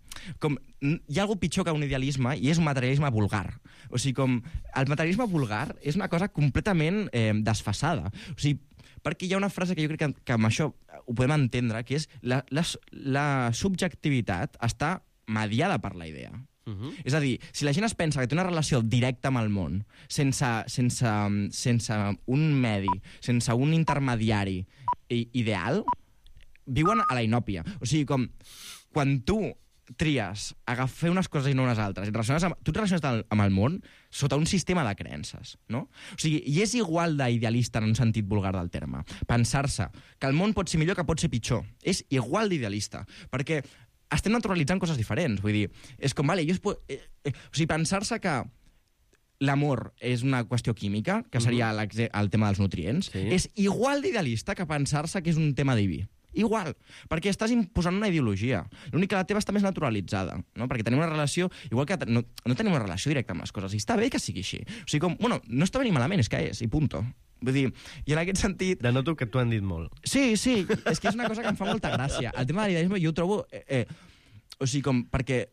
com... Hi ha alguna pitjor que un idealisme i és un materialisme vulgar. O sigui, com... El materialisme vulgar és una cosa completament eh, desfasada. O sigui, perquè hi ha una frase que jo crec que, que amb això ho podem entendre, que és la, la, la subjectivitat està mediada per la idea. Uh-huh. És a dir, si la gent es pensa que té una relació directa amb el món, sense, sense, sense un medi, sense un intermediari ideal, viuen a la inòpia. O sigui, com quan tu tries agafar unes coses i no unes altres, et relaciones amb, tu et relaciones amb el món sota un sistema de creences, no? O sigui, i és igual d'idealista en un sentit vulgar del terme. Pensar-se que el món pot ser millor que pot ser pitjor. És igual d'idealista, perquè estem naturalitzant coses diferents. Vull dir, és com, vale, jo es pot, eh, eh, o sigui, pensar-se que l'amor és una qüestió química, que seria mm-hmm. el tema dels nutrients, sí. És igual d'idealista que pensar-se que és un tema diví. Igual, perquè estàs imposant una ideologia. L'únic que la teva està més naturalitzada, no? Perquè tenim una relació... Igual que no, no tenim una relació directa amb les coses, i està bé que sigui així. O sigui, com, bueno, no està bé ni malament, és que és, i punto. Vull dir, i en aquest sentit... Denoto que t'ho han dit molt. Sí, sí, és que és una cosa que em fa molta gràcia. El tema de l'idealisme jo ho trobo... Eh, eh, o sigui, com, perquè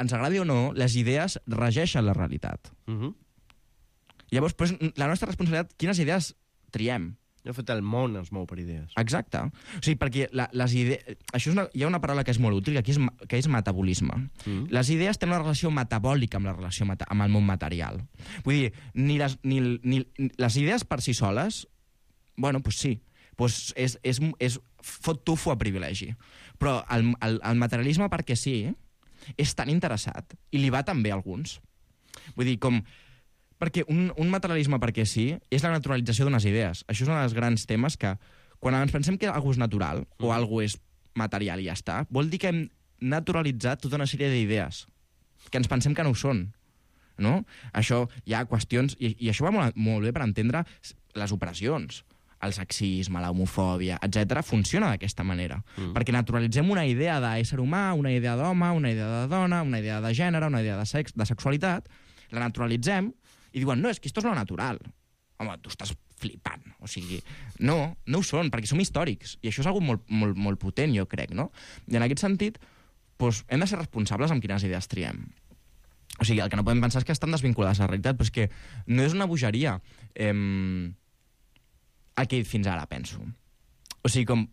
ens agradi o no, les idees regeixen la realitat. Uh-huh. Llavors, pues, la nostra responsabilitat, quines idees triem? De fet, el món es mou per idees. Exacte. O sigui, perquè la, les idees... Això és una, hi ha una paraula que és molt útil, que aquí és, que és metabolisme. Mm. Les idees tenen una relació metabòlica amb la relació meta, amb el món material. Vull dir, ni les, ni, ni, les idees per si soles, bueno, doncs sí, pues és, és, és fot tufo a privilegi. Però el, el, el materialisme, perquè sí, és tan interessat, i li va també a alguns. Vull dir, com... Perquè un, un materialisme perquè sí és la naturalització d'unes idees. Això és un dels grans temes que, quan ens pensem que alguna és natural mm. o alguna és material i ja està, vol dir que hem naturalitzat tota una sèrie d'idees que ens pensem que no ho són. No? Això hi ha qüestions... I, i això va molt, molt bé per entendre les operacions. El sexisme, la homofòbia, etcètera, funciona d'aquesta manera. Mm. Perquè naturalitzem una idea d'ésser humà, una idea d'home, una idea de dona, una idea de gènere, una idea de, sex, de sexualitat, la naturalitzem i diuen, no, és que esto és lo natural. Home, tu estàs flipant. O sigui, no, no ho són, perquè som històrics. I això és algo molt, molt, molt potent, jo crec, no? I en aquest sentit, doncs, hem de ser responsables amb quines idees triem. O sigui, el que no podem pensar és que estan desvinculades a la realitat, però és que no és una bogeria eh, el que he dit fins ara, penso. O sigui, com...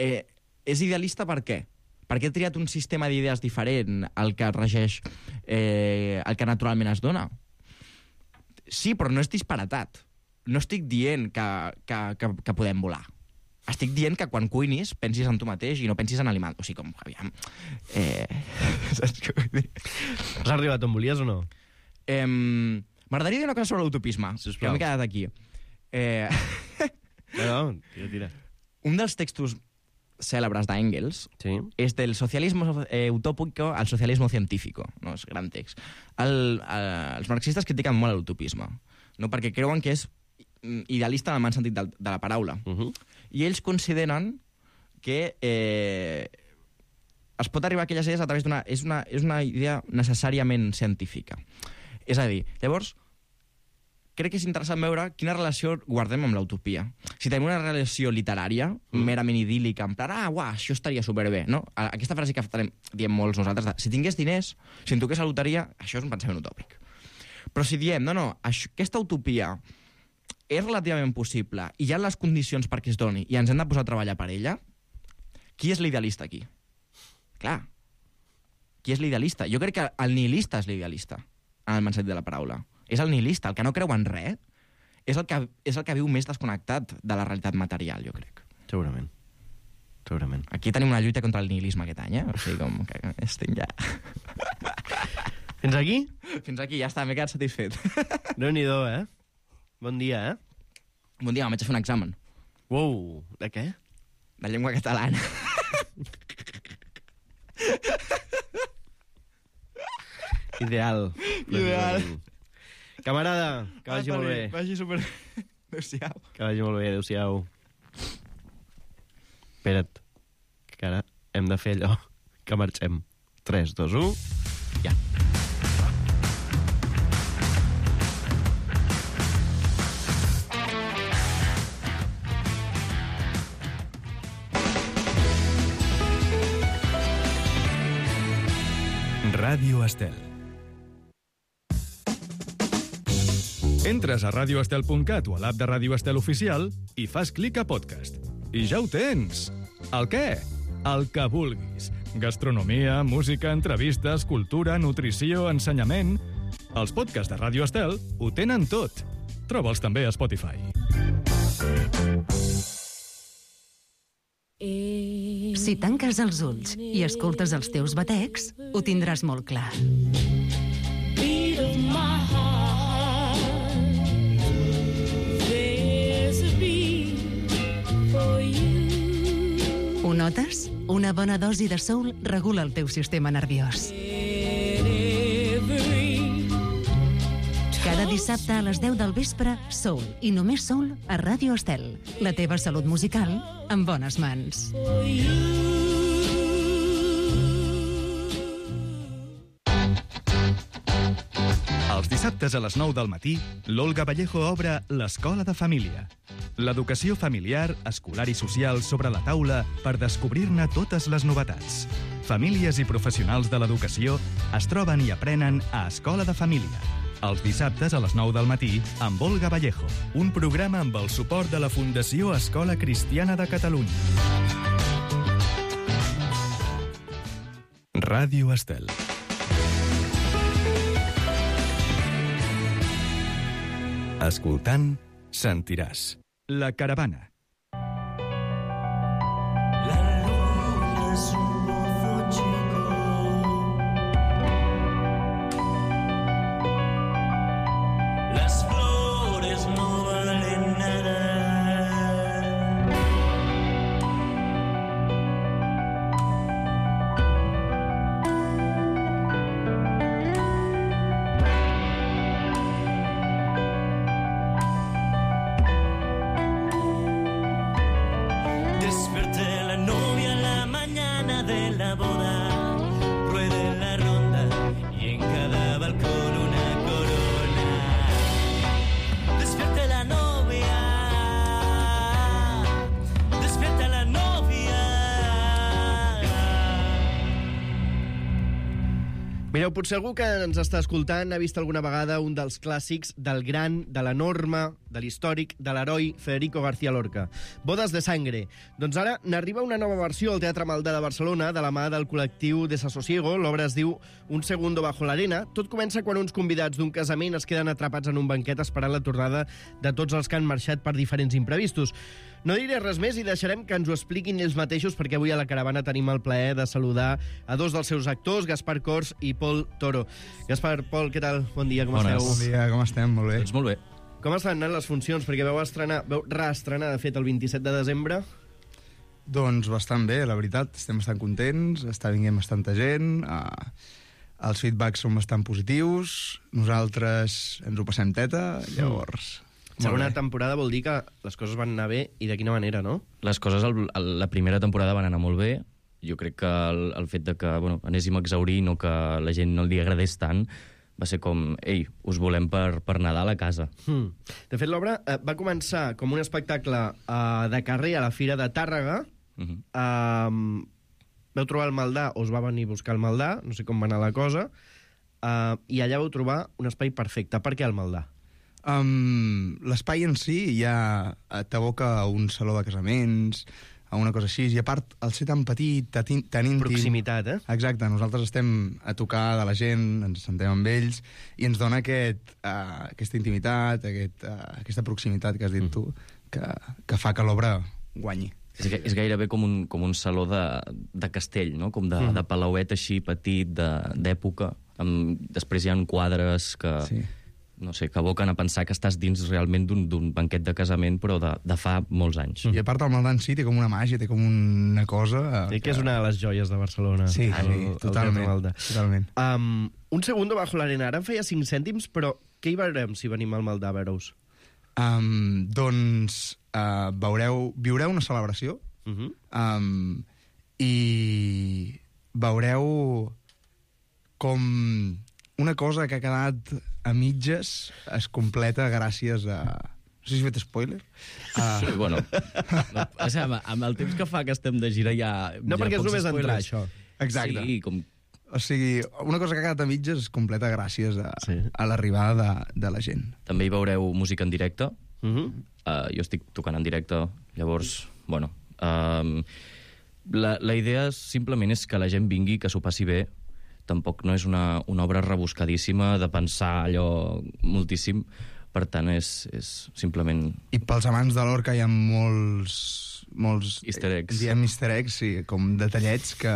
Eh, és idealista per què? Perquè he triat un sistema d'idees diferent al que regeix, eh, el que naturalment es dona? Sí, però no és disparatat. No estic dient que, que, que, que podem volar. Estic dient que quan cuinis pensis en tu mateix i no pensis en aliment. O sigui, com, aviam... Eh... Saps què vull dir? Has arribat on volies o no? Eh, M'agradaria dir una cosa sobre l'utopisme, que m'he quedat aquí. Eh... No, no, tira, tira. Un dels textos cèlebres d'Engels sí. és del socialisme eh, utópico al socialisme científico. No? És gran text. El, el, els marxistes critiquen molt l'utopisme, no? Perquè creuen que és idealista en el mal sentit de, de la paraula. Uh-huh. I ells consideren que eh, es pot arribar a aquelles idees a través d'una... És una, és una idea necessàriament científica. És a dir, llavors, crec que és interessant veure quina relació guardem amb l'utopia. Si tenim una relació literària, mm. merament idíl·lica, en plan, ah, uah, això estaria superbé, no? Aquesta frase que diem molts nosaltres, de, si tingués diners, si em toqués la loteria, això és un pensament utòpic. Però si diem, no, no, això, aquesta utopia és relativament possible i hi ha les condicions perquè es doni i ens hem de posar a treballar per ella, qui és l'idealista aquí? Clar, qui és l'idealista? Jo crec que el nihilista és l'idealista, en el mensaje de la paraula. És el nihilista, el que no creu en res, és el que, és el que viu més desconnectat de la realitat material, jo crec. Segurament. Segurament. Aquí tenim una lluita contra el nihilisme aquest any, eh? O sigui, com que estem ja... Fins aquí? Fins aquí, ja està, m'he quedat satisfet. Déu-n'hi-do, eh? Bon dia, eh? Bon dia, m'haig de fer un examen. Uau, de què? De llengua catalana. Ideal. Ideal. Camarada, que vagi ah, molt bé. Vagi super... Adéu-siau. Que vagi molt bé, adéu-siau. Espera't, que ara hem de fer allò que marxem. tres, dos, u, ja. Ràdio Estel. Entres a radio estel punt cat o a l'app de Ràdio Estel Oficial i fas clic a podcast. I ja ho tens! El què? El que vulguis. Gastronomia, música, entrevistes, cultura, nutrició, ensenyament... Els podcasts de Ràdio Estel ho tenen tot. Troba'ls també a Spotify. Si tanques els ulls i escoltes els teus batecs, ho tindràs molt clar. Ho notes? Una bona dosi de soul regula el teu sistema nerviós. Cada dissabte a les deu del vespre, soul i només soul a Ràdio Estel. La teva salut musical en bones mans. Els dissabtes a les nou del matí, l'Olga Vallejo obre l'Escola de Família. L'educació familiar, escolar i social sobre la taula per descobrir-ne totes les novetats. Famílies i professionals de l'educació es troben i aprenen a Escola de Família. Els dissabtes a les nou del matí amb Olga Vallejo, un programa amb el suport de la Fundació Escola Cristiana de Catalunya. Ràdio Estel. Escoltant, sentiràs. La caravana. Mireu, potser algú que ens està escoltant ha vist alguna vegada un dels clàssics del gran, de l'enorme, de l'històric, de l'heroi Federico García Lorca. Bodes de sangre. Doncs ara n'arriba una nova versió al Teatre Maldà de Barcelona de la mà del col·lectiu Desasosiego. L'obra es diu Un segundo bajo l'arena. Tot comença quan uns convidats d'un casament es queden atrapats en un banquet esperant la tornada de tots els que han marxat per diferents imprevistos. No diré res més i deixarem que ens ho expliquin ells mateixos, perquè avui a la caravana tenim el plaer de saludar a dos dels seus actors, Gaspar Cors i Pol Toro. Gaspar, Pol, què tal? Bon dia, com Bones. esteu? Bon dia, com estem? Molt bé. Doncs molt bé. Com estan anant les funcions? Perquè veu estrenar, veu reestrenar, de fet, el vint-i-set de desembre. Doncs bastant bé, la veritat. Estem bastant contents, està vinguent bastanta gent, uh, els feedbacks són bastant positius, nosaltres ens ho passem teta, llavors... Segona temporada vol dir que les coses van anar bé, i de quina manera, no? Les coses, el, el, la primera temporada van anar molt bé. Jo crec que el, el fet de que bueno, anéssim a exaurir, no que la gent no li agradés tant, va ser com, ei, us volem per, per Nadal a casa. Hmm. De fet, l'obra eh, va començar com un espectacle eh, de carrer a la Fira de Tàrrega. Uh-huh. eh, veu trobar el Maldà, o us va venir a buscar el Maldà, no sé com va anar la cosa, eh, i allà vau trobar un espai perfecte. Per què el Maldà? Um, L'espai en si ja t'aboca a un saló de casaments, a una cosa així, i a part, al ser tan petit, tan, tan íntim... Proximitat, eh? Exacte, nosaltres estem a tocar de la gent, ens sentem amb ells, i ens dona aquest, uh, aquesta intimitat, aquest, uh, aquesta proximitat que has dit tu, que, que fa que l'obra guanyi. És, és gairebé com un, com un saló de, de castell, no? Com de, mm. de palauet així petit, d'època. Després hi ha quadres que... Sí. No sé, que aboquen a pensar que estàs dins realment d'un banquet de casament, però de, de fa molts anys. I a part el Maldà en si té com una màgia, té com una cosa... Sí, que és una de les joies de Barcelona. Sí, el, sí, el totalment. totalment. Um, un segundo bajo l'arena. Ara em feia cinc cèntims, però què hi veurem si venim al Maldà a veure-us? Um, doncs uh, veureu, viureu una celebració, Uh-huh. um, i veureu com una cosa que ha quedat a mitges es completa gràcies a... No sé si he fet spoiler. Uh... Sí, bueno, no, o sigui, amb, amb el temps que fa que estem de gira ja... No, ja perquè és pocs només spoilers. entrar, això. Exacte. Sí, com... O sigui, una cosa que ha quedat a mitges es completa gràcies a, Sí. a l'arribada de, de la gent. També hi veureu música en directe. Uh -huh. Uh, jo estic tocant en directe, llavors, bueno... Um, la, la idea simplement és que la gent vingui, que s'ho passi bé. Tampoc no és una, una obra rebuscadíssima de pensar allò moltíssim. Per tant, és, és simplement... I pels amants de Lorca hi ha molts... molts Easter eggs. Diem easter eggs, sí, com detallets que...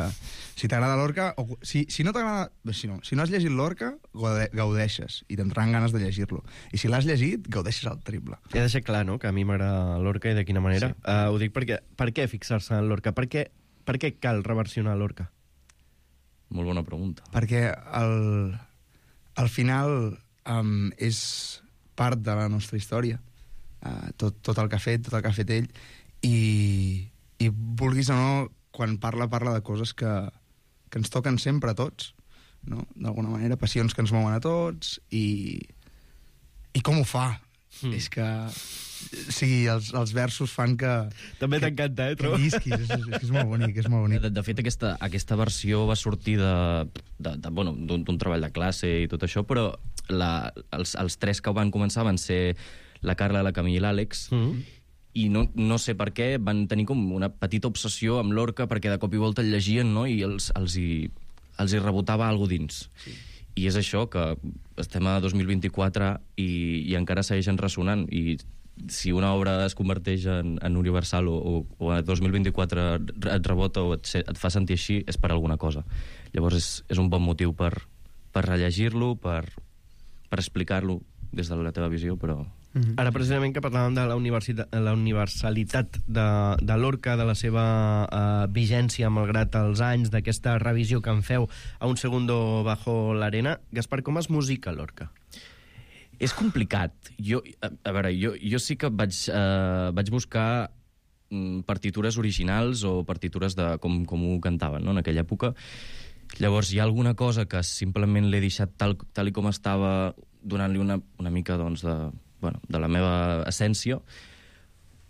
Si t'agrada Lorca... O, si, si no t'agrada... Si no, si no has llegit Lorca, gaude, gaudeixes. I t'entraran ganes de llegir-lo. I si l'has llegit, gaudeixes al triple. He deixat clar, no?, que a mi m'agrada Lorca i de quina manera. Sí. Uh, ho dic perquè... Per què fixar-se en Lorca? Per què, per què cal reversionar Lorca? Molt bona pregunta. Perquè al, al final um, és part de la nostra història. Uh, tot, tot el que ha fet, tot el que ha fet ell. I, i vulguis o no, quan parla, parla de coses que, que ens toquen sempre a tots, no? D'alguna manera, passions que ens mouen a tots, i, i com ho fa? Mm. És que... O sigui, els, els versos fan que... També t'encanta, eh, trobo? Que llisquis, és, és, és molt bonic, és molt bonic. De, de fet, aquesta, aquesta versió va sortir de, de, de, bueno, d'un treball de classe i tot això, però la, els, els tres que van començar van ser la Carla, la Camilla i l'Àlex, mm. i no, no sé per què van tenir com una petita obsessió amb Lorca, perquè de cop i volta el llegien, no?, i els, els, hi, els hi rebotava alguna dins. Sí. I és això, que estem a dos mil vint-i-quatre i, i encara segueixen ressonant, i si una obra es converteix en, en universal o, o, o a dos mil vint-i-quatre et rebota o et, et fa sentir així, és per alguna cosa. Llavors és, és un bon motiu per, per rellegir-lo, per, per explicar-lo des de la teva visió, però... Mm-hmm. Ara, precisament, que parlàvem de la, la universalitat de, de Lorca, de la seva uh, vigència malgrat els anys, d'aquesta revisió que en feu a Un segundo bajo l'arena. Gaspar, com es musica Lorca? És complicat. Jo, a, a veure, jo, jo sí que vaig, uh, vaig buscar mm, partitures originals o partitures de com, com ho cantaven, no?, en aquella època. Llavors hi ha alguna cosa que simplement l'he deixat tal, tal i com estava, donant-li una, una mica, doncs, de, bueno, de la meva essència,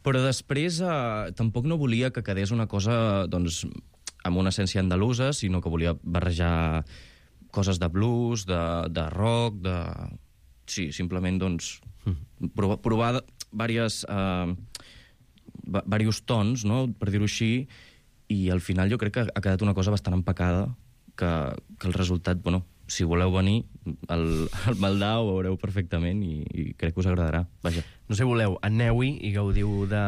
però després eh, tampoc no volia que quedés una cosa, doncs, amb una essència andalusa, sinó que volia barrejar coses de blues, de, de rock, de... Sí, simplement, doncs, provar, provar diversos, eh, diversos tons, no?, per dir-ho així, i al final jo crec que ha quedat una cosa bastant empacada, que, que el resultat, bueno, si voleu venir, al, al Maldà ho veureu perfectament i, i crec que us agradarà. Vaja. No sé, voleu, aneu-hi i gaudiu de,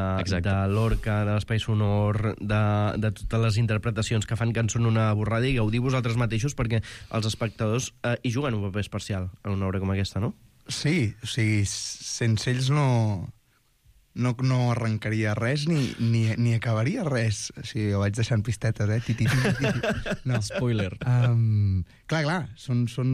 de Lorca, de l'espai sonor, de, de totes les interpretacions que fan que en són una borrada, i gaudiu vosaltres mateixos, perquè els espectadors eh, hi juguen un paper especial en una obra com aquesta, no? Sí, o sigui, sense ells no, no, no arrencaria res ni, ni, ni acabaria res. O sigui, ho vaig deixant pistetes, eh? Titi, titi, titi. No. Spoiler. Um, clar, clar, són, són,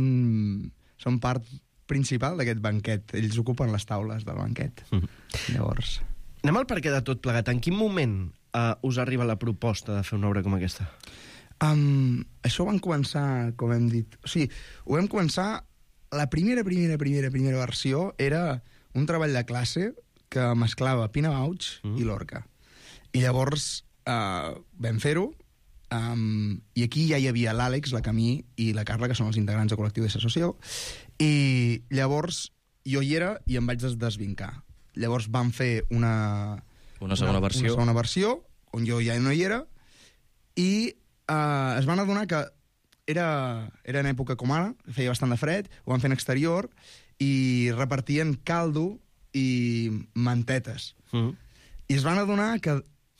són part principal d'aquest banquet. Ells ocupen les taules del banquet. Mm. Llavors... Anem al perquè de tot plegat. En quin moment uh, us arriba la proposta de fer una obra com aquesta? Um, això van començar, com hem dit... O sigui, ho vam començar... La primera, primera, primera, primera versió era un treball de classe que mesclava Pina Bausch mm. i Lorca. I llavors uh, vam fer-ho, um, i aquí ja hi havia l'Àlex, la Camí i la Carla, que són els integrants del col·lectiu de S'Associó, i llavors jo hi era i em vaig desvincar. Llavors vam fer una... Una segona una, versió. Una segona versió, on jo ja no hi era, i uh, es van adonar que Era, era en època com ara, feia bastant de fred, ho van fer en exterior, i repartien caldo i mantetes. Mm. I es van adonar que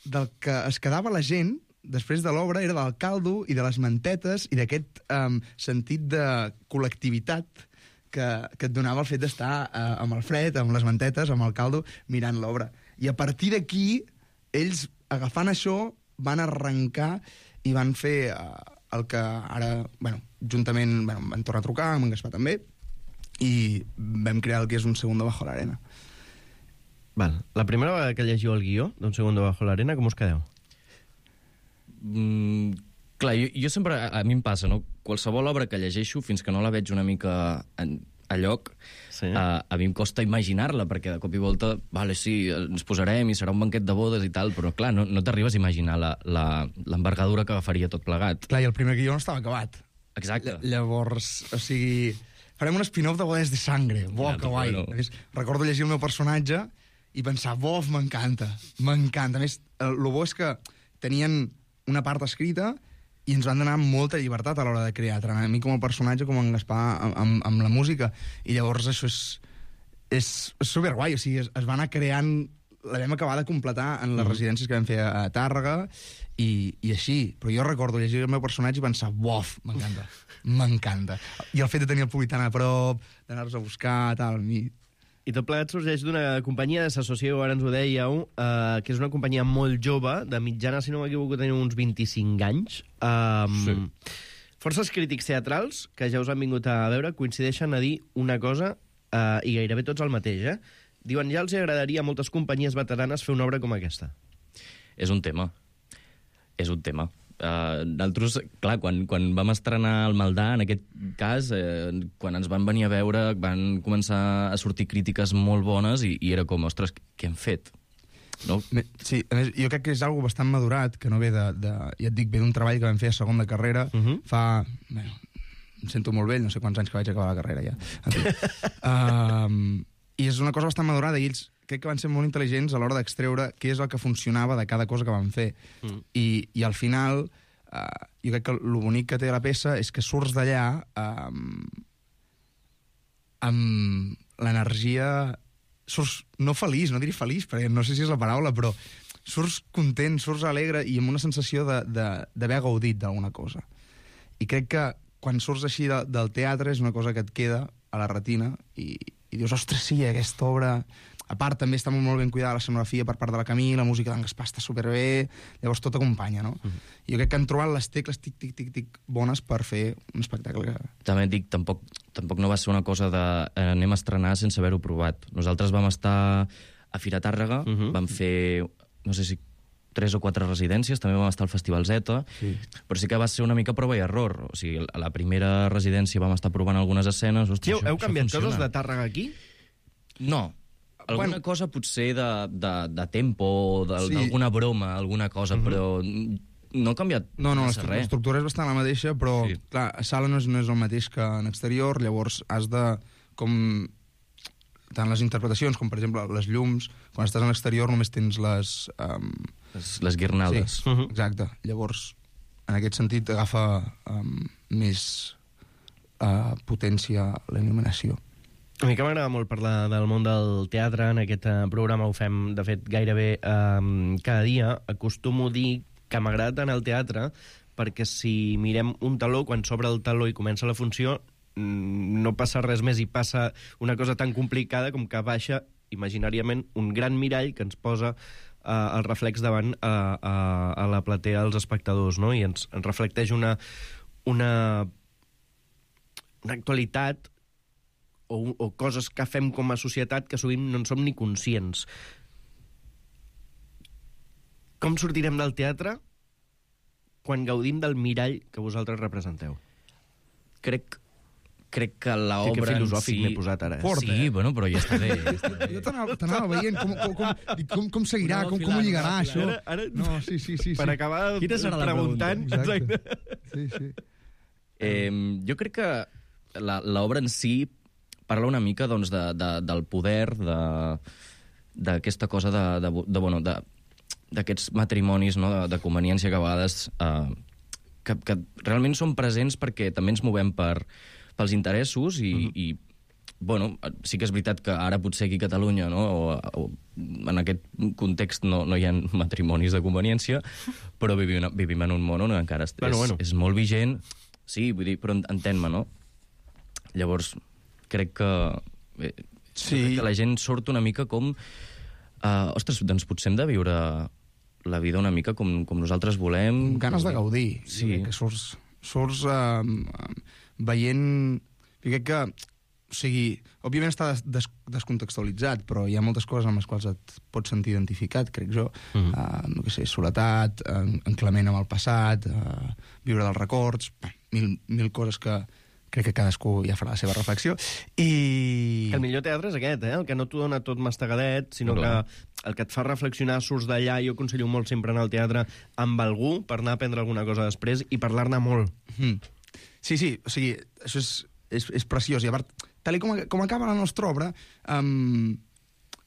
del que es quedava la gent, després de l'obra, era del caldo i de les mantetes i d'aquest um, sentit de col·lectivitat que, que et donava el fet d'estar uh, amb el fred, amb les mantetes, amb el caldo, mirant l'obra. I a partir d'aquí, ells, agafant això, van arrencar i van fer... Uh, el que ara, bueno, juntament bueno, vam tornar a trucar, amb en Gaspar també, i vam crear el que és Un segundo bajo l'arena. Val. La primera vegada que llegiu el guió d'Un segundo bajo l'arena, com us quedeu? Mm, clar, jo, jo sempre... A, a mi em passa, no? Qualsevol obra que llegeixo, fins que no la veig una mica en, a lloc, sí. a, a mi em costa imaginar-la, perquè de cop i volta, vale, sí, ens posarem i serà un banquet de bodes i tal, però clar, no, no t'arribes a imaginar l'envergadura que agafaria tot plegat. Clar, i el primer guió no estava acabat. Exacte. Ll llavors, o sigui... Farem un spin-off de Bodes de Sangre. Bo, que guai. Bueno. Recordo llegir el meu personatge i pensar, bof, m'encanta, m'encanta. A més, el bo és que tenien una part escrita i ens van donar molta llibertat a l'hora de crear, tant a mi com a personatge com en Gaspar amb, amb la música. I llavors això és, és, és superguai, o sigui, es, es va anar creant... La vam acabar de completar en les mm. residències que vam fer a, a Tàrrega i, i així. Però jo recordo llegir el meu personatge i pensar, bof, m'encanta, m'encanta. I el fet de tenir el públic tan a prop, d'anar-los a buscar, tal... Mi... I tot plegat sorgeix d'una companyia de s'associeu, ara ens ho dèieu, eh, que és una companyia molt jove, de mitjana, si no m'equivoco, teniu uns vint-i-cinc anys. Um, sí. Forces crítics teatrals, que ja us han vingut a veure, coincideixen a dir una cosa, eh, i gairebé tots el mateix, eh? Diuen, ja els agradaria a moltes companyies veteranes fer una obra com aquesta. És un tema. És un tema. Uh, nosaltres, clar, quan, quan vam estrenar el Maldà, en aquest cas, eh, quan ens van venir a veure, van començar a sortir crítiques molt bones i, i era com, ostres, què hem fet? No? Sí, a més, jo crec que és algo bastant madurat, que no ve de... de ja et dic, ve d'un treball que vam fer a segon de carrera, uh -huh. fa... Bueno, em sento molt vell, no sé quants anys que vaig acabar la carrera ja. En fi. uh, I és una cosa bastant madurada, i ells crec que van ser molt intel·ligents a l'hora d'extreure què és el que funcionava de cada cosa que van fer. Mm. I, I al final, eh, jo crec que el bonic que té la peça és que surts d'allà eh, amb l'energia... Surts no feliç, no diré feliç, perquè no sé si és la paraula, però surts content, surts alegre i amb una sensació d'haver gaudit d'alguna cosa. I crec que quan surts així de, del teatre és una cosa que et queda a la retina i i dius, ostres, sí, aquesta obra... A part, també està molt ben cuidada l'escenografia per part de la Camí, la música d'en Gaspar està superbé, llavors tot acompanya, no? Uh-huh. I jo crec que han trobat les tecles tic, tic, tic, tic, bones per fer un espectacle que... També et dic, tampoc, tampoc no va ser una cosa de eh, anem a estrenar sense haver-ho provat. Nosaltres vam estar a Fira Tàrrega, uh-huh. vam fer, no sé si tres o quatre residències, també vam estar al Festival Zeta, sí. Però sí que va ser una mica prova i error. O sigui, a la primera residència vam estar provant algunes escenes... Ostres, sí, heu això, canviat això coses de Tàrrega aquí? No. Alguna bueno, cosa potser de, de, de tempo, d'alguna sí. broma, alguna cosa, uh-huh. però no ha canviat no, no, l'estructura és bastant la mateixa, però, sí. clar, a sala no és, no és el mateix que en exterior, llavors has de, com... tant les interpretacions com, per exemple, les llums, quan estàs en l'exterior només tens les... Um... Les, les guirnaldes. Sí, uh-huh. exacte. Llavors, en aquest sentit, agafa um, més uh, potència la il·luminació. A mi que m'agrada molt parlar del món del teatre, en aquest uh, programa ho fem, de fet, gairebé um, cada dia. Acostumo a dir que m'agrada tant el teatre perquè si mirem un taló, quan s'obre el taló i comença la funció, no passa res més i passa una cosa tan complicada com que baixa imaginàriament un gran mirall que ens posa uh, el reflex davant a, a, a la platea dels espectadors, no? I ens, ens reflecteix una, una, una actualitat o, o coses que fem com a societat que sovint no en som ni conscients. Com sortirem del teatre quan gaudim del mirall que vosaltres representeu? Crec crec que l'obra sí, que filosòfic si... m'he posat ara. Eh? Fort, sí, eh? bueno, però ja està bé. Ja està bé. Jo t'anava veient com, com, com, com, com seguirà, no, com, com ho lligarà, no, això. Ara, ara... No, sí, sí, sí, sí. Per acabar preguntant... Exacte. Sí, sí. Eh, jo crec que l'obra en si parla una mica doncs, de, de, del poder, d'aquesta cosa de, de, de, bueno, de, d'aquests matrimonis, no? de, de conveniència que a vegades eh, que, que realment són presents perquè també ens movem per, pels interessos i, uh-huh. i bueno, sí que és veritat que ara potser aquí a Catalunya, no? o, o en aquest context no, no hi ha matrimonis de conveniència, però vivim, vivim en un món on encara és, bueno, bueno. és molt vigent. Sí, vull dir, però entén-me, no? Llavors, crec que, eh, sí. crec que la gent surt una mica com... Uh, ostres, doncs potser hem de viure la vida una mica com, com nosaltres volem. Ganes de gaudir. Sí. Que surts, surts uh, veient... Jo crec que o sigui, òbviament està des, des, descontextualitzat, però hi ha moltes coses amb les quals et pots sentir identificat, crec jo. Mm-hmm. uh, no sé, soledat, en, enclement amb el passat, uh, viure dels records, mil, mil coses que crec que cadascú ja farà la seva reflexió. I... El millor teatre és aquest, eh? El que no t'ho dona tot mastegadet, sinó no, que el que et fa reflexionar, surts d'allà. Jo aconsello molt sempre anar al teatre amb algú per anar a aprendre alguna cosa després i parlar-ne molt. Mm. Sí, sí, o sigui, això és, és, és preciós. I a part, tal com, com acaba la nostra obra, um,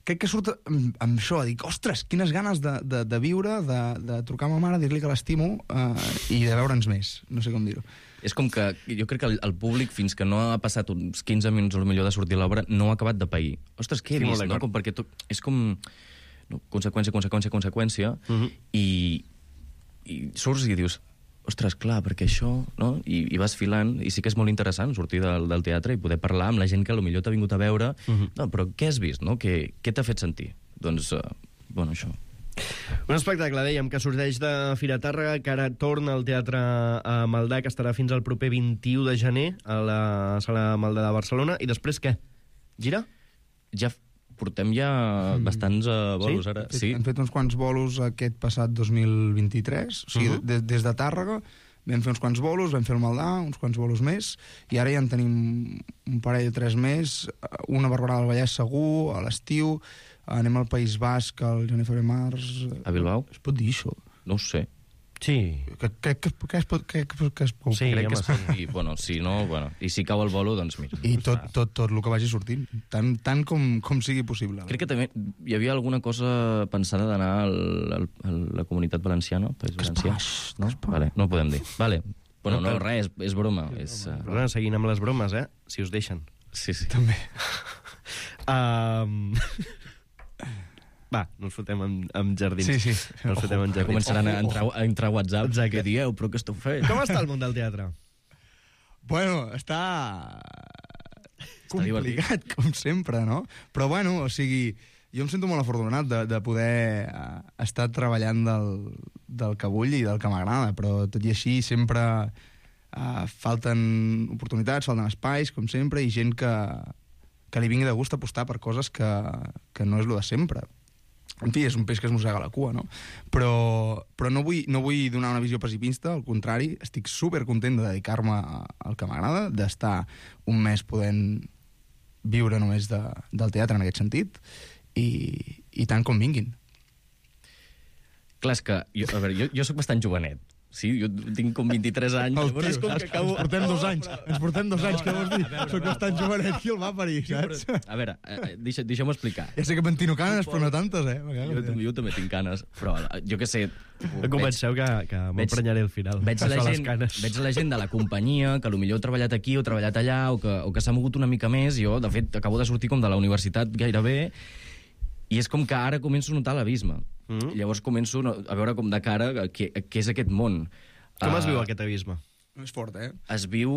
crec que surt amb, amb això, a dir, ostres, quines ganes de, de, de viure, de, de trucar a ma mare, dir-li que l'estimo uh, i de veure'ns més. No sé com dir-ho. És com que jo crec que el, el públic, fins que no ha passat uns quinze minuts o millor de sortir l'obra, no ha acabat de pair. Ostres, què he sí, vist, no? Com perquè tot, és com no, conseqüència, conseqüència, conseqüència, uh-huh. i, i surts i dius, ostres, clar, perquè això, no? I, i vas filant, i sí que és molt interessant sortir del, del teatre i poder parlar amb la gent que potser t'ha vingut a veure, uh-huh. no, però què has vist, no? Què, què t'ha fet sentir? Doncs, uh, bueno, això... Un espectacle, dèiem, que sorgeix de Fira Tàrrega, que ara torna al Teatre a Maldà, que estarà fins al proper vint-i-u de gener a la Sala Maldà de Barcelona. I després què? Gira? Ja portem ja mm. bastants uh, bolos, sí? ara. Hem fet, sí, hem fet uns quants bolos aquest passat dos mil vint-i-tres, o sigui, uh -huh. des, des de Tàrrega vam fer uns quants bolos, vam fer el Maldà, uns quants bolos més, i ara ja en tenim un parell o tres més, una Barberà del Vallès segur, a l'estiu, anem al País Basc, al gener, febrer, març... A Bilbao? Es pot dir això? No ho sé. Sí. Que, que, que, que, es pot, que, que es pot... Sí, crec que es pot dir. Bueno, si no, bueno. I si cau el bolo, doncs mira. I tot, tot, tot el que vagi sortint, tant, tant com, com sigui possible. Crec que també hi havia alguna cosa pensada d'anar al, a la Comunitat Valenciana, País Valencià. No? Vale, no ho podem dir. Vale. Bueno, no, res, és broma. És, uh... Perdona, seguint amb les bromes, eh? Si us deixen. Sí, sí. També. um... Va, no ens fotem amb, amb jardins. Sí, sí. No ens fotem amb jardins. Començaran a entrar, a entrar a WhatsApp. Exacte. Què dieu? Però què esteu fent? Com està el món del teatre? Bueno, està... complicat, com sempre, no? Però, bueno, o sigui, jo em sento molt afortunat de, de poder uh, estar treballant del, del que vull i del que m'agrada, però tot i així sempre uh, falten oportunitats, falten espais, com sempre, i gent que, que li vingui de gust apostar per coses que, que no és lo de sempre. En fi, és un peix que es mossega la cua, no? Però, però no, vull, no vull donar una visió pessimista, al contrari, estic supercontent de dedicar-me al que m'agrada, d'estar un mes podent viure només de, del teatre en aquest sentit, i, i tant com vinguin. Clar, és que, jo, a veure, jo, jo sóc bastant jovenet. Sí, jo tinc com vint-i-tres anys. El tio, com que acabo... Ens portem dos anys, ens portem dos anys, què vols dir? Soc bastant jovenet, qui el va parir, saps? A veure, eh, deixa, deixa'm explicar. Ja sé que pentino canes, però no tantes, eh? Jo, jo també tinc canes, però jo què sé... No comenceu que, que m'emprenyaré al final. Veig la, gent, veig la gent de la companyia, que potser ha treballat aquí o ha treballat allà, o que, o que s'ha mogut una mica més. Jo, de fet, acabo de sortir com de la universitat gairebé, i és com que ara començo a notar l'abisme. Mm. Llavors començo a veure com de cara què, què és aquest món. Com uh, es viu uh, aquest abisme? No és fort, eh? Es viu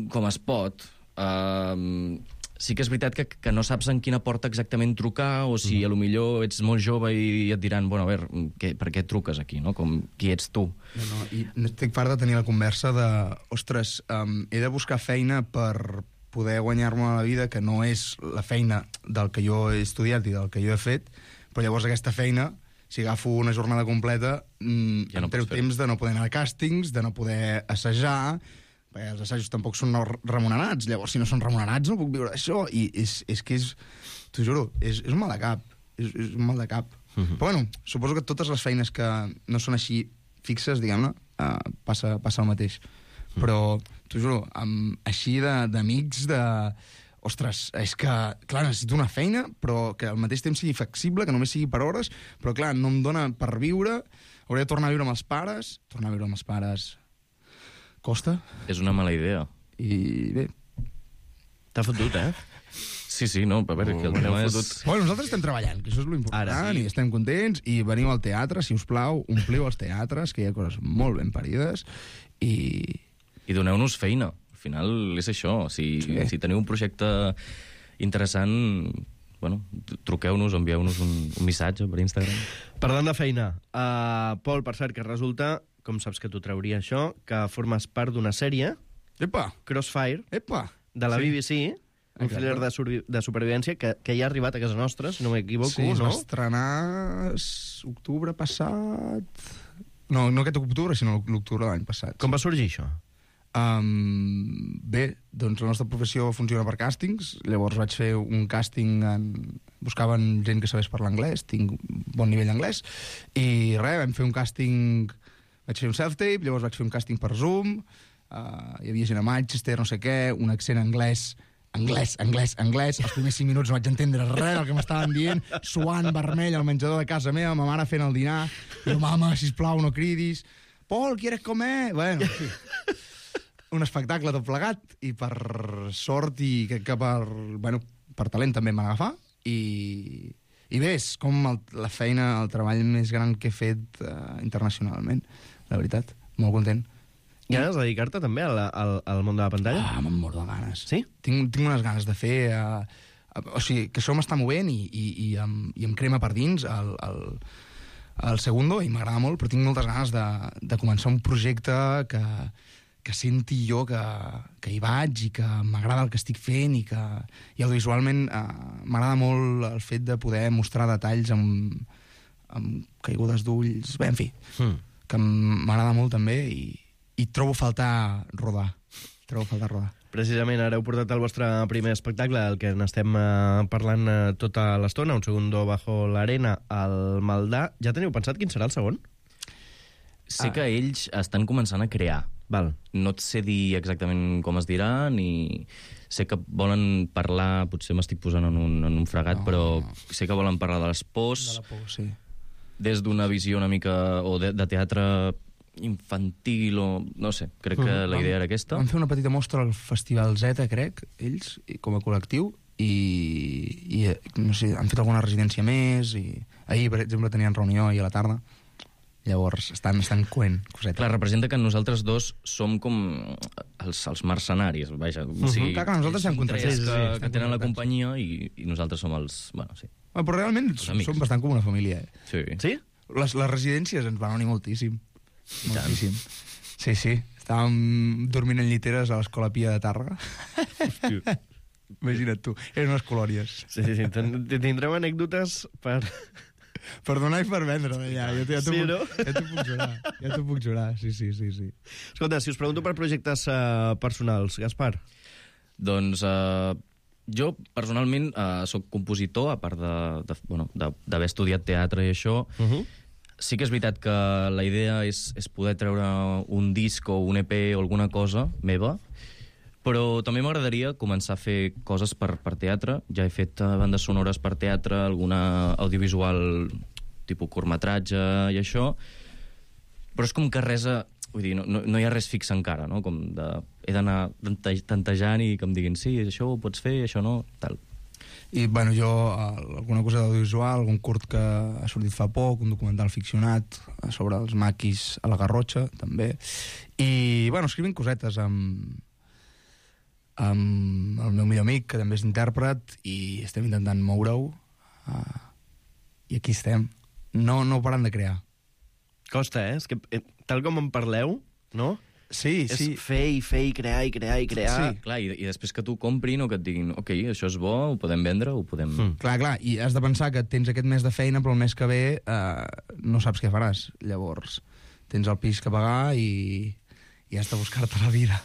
com es pot. Uh, sí que és veritat que, que no saps en quina porta exactament trucar, o si mm. a lo millor ets molt jove i et diran, bueno, a veure, què, per què truques aquí, no? Com, qui ets tu? No, no, i estic fart de tenir la conversa de, ostres, um, he de buscar feina per poder guanyar-me la vida, que no és la feina del que jo he estudiat i del que jo he fet, però llavors aquesta feina, si agafo una jornada completa, mmm, ja no em treu temps de no poder anar a càstings, de no poder assajar, perquè els assajos tampoc són remunerats, llavors si no són remunerats no puc viure d'això, i és, és que és, t'ho juro, és, és un mal de cap, és, és un mal de cap. Uh-huh. Però bueno, suposo que totes les feines que no són així fixes, diguem-ne, uh, passa, passa el mateix. Uh-huh. Però, t'ho juro, amb, així d'amics, de... Ostres, és que, clar, necessito una feina, però que al mateix temps sigui flexible, que només sigui per hores, però, clar, no em dona per viure, hauré de tornar a viure amb els pares, tornar a viure amb els pares costa. És una mala idea. I bé... T'ha fotut, eh? Sí, sí, no, a veure, oh, que el tema és... Bueno, nosaltres estem treballant, que això és l'important, Ara, sí. I estem contents, i veniu al teatre, si us plau, ompliu els teatres, que hi ha coses molt ben parides, i... I doneu-nos feina. Al final és això. Si, sí. si teniu un projecte interessant, bueno, truqueu-nos, envieu-nos un, un missatge per Instagram. Parlant de feina, uh, Pol, per cert, que resulta, com saps que t'ho trauria això, que formes part d'una sèrie, Epa. Crossfire, Epa. de la sí. B B C, Un Exacte. thriller de, sur- de supervivència que, que ja ha arribat a casa nostra, si no m'equivoco, Sí, es no? va estrenar s- octubre passat... No, no aquest octubre, sinó l'octubre de l'any passat. Com va sorgir això? Um, bé, doncs la nostra professió funciona per càstings, llavors vaig fer un càsting en... buscaven gent que sabés parlar anglès, tinc bon nivell d'anglès, i res, vam fer un càsting, vaig fer un self-tape, llavors vaig fer un càsting per Zoom, uh, hi havia gent a Manchester, no sé què, un accent anglès, anglès, anglès, anglès, els primers cinc minuts no vaig entendre res del que m'estaven dient, suant vermell al menjador de casa meva, ma mare fent el dinar, i jo, mama, sisplau, no cridis, Pol, ¿quieres comer? Bueno, sí. Un espectacle tot plegat, i per sort i crec que per, bueno, per talent també em van agafar, i, i bé, és com el, la feina, el treball més gran que he fet uh, internacionalment, la veritat, molt content. Ganes de dedicar-te també al, al, al món de la pantalla? Ah, me'n moro de ganes. Sí? Tinc, tinc unes ganes de fer... Uh, uh, o sigui, que això m'està movent i, i, i, em, i em crema per dins el, el, el segundo, i m'agrada molt, però tinc moltes ganes de, de començar un projecte que, que senti jo que, que hi vaig i que m'agrada el que estic fent i que i audiovisualment uh, m'agrada molt el fet de poder mostrar detalls amb, amb caigudes d'ulls, bé, en fi, Mm. que m'agrada molt també i, i trobo a faltar rodar. Trobo a faltar rodar. Precisament, ara heu portat el vostre primer espectacle, el que n'estem eh, parlant eh, tota l'estona, un segundo bajo l'arena, al Maldà. Ja teniu pensat quin serà el segon? Sé ah. que ells estan començant a crear. Val. No et sé dir exactament com es dirà, ni sé que volen parlar, potser m'estic posant en un, en un fregat, no. Però sé que volen parlar de les pors, De la por, sí. des d'una visió una mica, o de, de teatre infantil, o no sé, crec que Mm. la idea era aquesta. Vam fer una petita mostra al Festival Z, crec, ells, i- com a col·lectiu, i, i no sé, han fet alguna residència més, i ahir, per exemple, tenien reunió ahir a la tarda. Llavors, estan, estan coent cosetes. Clar, representa que nosaltres dos som com els, els mercenaris, vaja. O sigui, Clar, clar, nosaltres ells estem són contractats. tres Sí, sí, que, estem que tenen la contractats. companyia i, i nosaltres som els... Bueno, sí. Ah, però realment Els amics. som bastant com una família, eh? Sí. Sí? Les, les residències ens van unir moltíssim. Moltíssim. Sí, sí. Estàvem dormint en lliteres a l'Escola Pia de Tàrrega. Imagina't tu. Eren unes colònies. Sí, sí, sí. Ten- Tindreu anècdotes per... Per donar i per vendre, ja. Ja, ja t'ho Sí, puc, no? ja t'ho puc jurar. Ja t'ho puc jurar, sí, sí, sí. sí. Escolta, si us pregunto per projectes uh, personals, Gaspar. Doncs uh, jo, personalment, uh, sóc compositor, a part de- de- bueno, de- d'haver estudiat teatre i això. Uh -huh. Sí que és veritat que la idea és, és poder treure un disc o un E P o alguna cosa meva, però també m'agradaria començar a fer coses per, per teatre. Ja he fet uh, bandes sonores per teatre, alguna audiovisual tipus curtmetratge i això, però és com que res... A, vull dir, no, no, no hi ha res fix encara, no? Com de, he d'anar tante- tantejant i que em diguin sí, això ho pots fer, això no, tal. I, bueno, jo, eh, alguna cosa d'audiovisual, algun curt que ha sortit fa poc, un documental ficcionat eh, sobre els maquis a la Garrotxa, també. I, bueno, escrivint cosetes amb, amb el meu millor amic, que també és intèrpret, i estem intentant moure-ho. Uh, I aquí estem. No, no parant de crear. Costa, eh? És que, eh, tal com en parleu, no? Sí, és sí. fer i fer i crear i crear i crear. Sí, clar, i, i després que t'ho comprin o que et diguin ok, això és bo, ho podem vendre, ho podem... Mm. Clar, clar, i has de pensar que tens aquest mes de feina, però el mes que ve eh, no saps què faràs. Llavors, tens el pis que pagar i, i has de buscar-te la vida.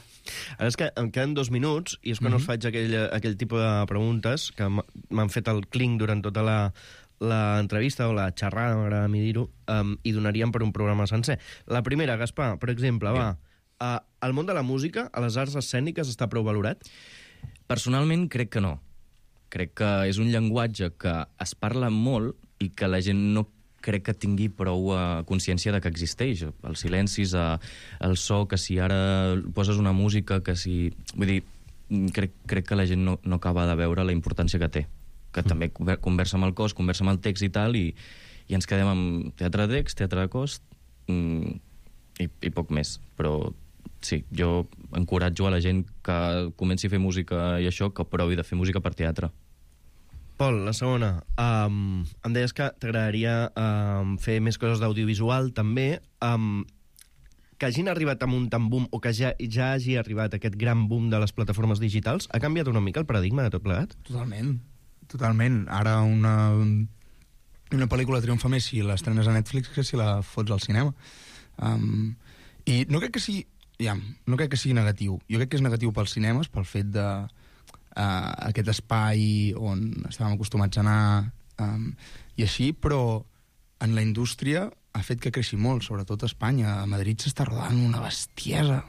Ara és que em queden dos minuts i és quan mm -hmm. us faig aquell, aquell tipus de preguntes que m'ha- m'han fet el clinc durant tota la, la entrevista o la xerrada, m'agrada a mi dir-ho, um, i donaríem per un programa sencer. La primera, Gaspar, per exemple, Bé. va, uh, el món de la música, a les arts escèniques, està prou valorat? Personalment crec que no. Crec que és un llenguatge que es parla molt i que la gent no crec que tingui prou uh, consciència de que existeix. Els silencis, uh, el so, que si ara poses una música, que si... Vull dir, crec, crec que la gent no, no acaba de veure la importància que té. Que mm. també conver- conversa amb el cos, conversa amb el text i tal, i, i ens quedem amb teatre de text, teatre de cos, mm, i, i poc més. Però sí, jo encoratjo a la gent que comenci a fer música i això, que provi de fer música per teatre. Pol, la segona. Um, em deies que t'agradaria um, fer més coses d'audiovisual, també. Um, que hagin arribat amb un tant boom o que ja, ja hagi arribat aquest gran boom de les plataformes digitals, ha canviat una mica el paradigma de tot plegat? Totalment, totalment. Ara una, una pel·lícula triomfa més si l'estrenes a Netflix que si la fots al cinema. Um, I no crec que sigui, ja, no crec que sigui negatiu. Jo crec que és negatiu pels cinemes, pel fet de uh, aquest espai on estàvem acostumats a anar um, i així, però en la indústria ha fet que creixi molt, sobretot a Espanya. A Madrid s'està rodant una bestiesa.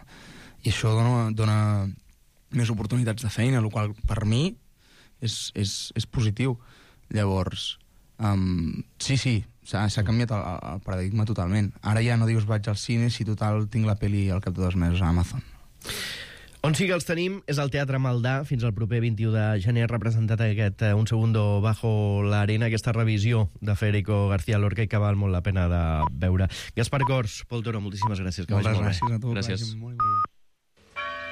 I això dona, dona més oportunitats de feina, el qual per mi és, és, és positiu. Llavors, um, sí, sí, s'ha canviat el, el paradigma totalment. Ara ja no dius vaig al cine si total tinc la peli al cap de dos mesos a Amazon. On sí que els tenim és al Teatre Maldà fins al proper vint-i-u de gener, representat aquest uh, Un segundo bajo la arena, aquesta revisió de Federico García Lorca i que val molt la pena de veure. Gaspar Cors, Pol Toro, moltíssimes gràcies. Que Moltes vagi molt gràcies bé. a tu. Gràcies. Molt bé.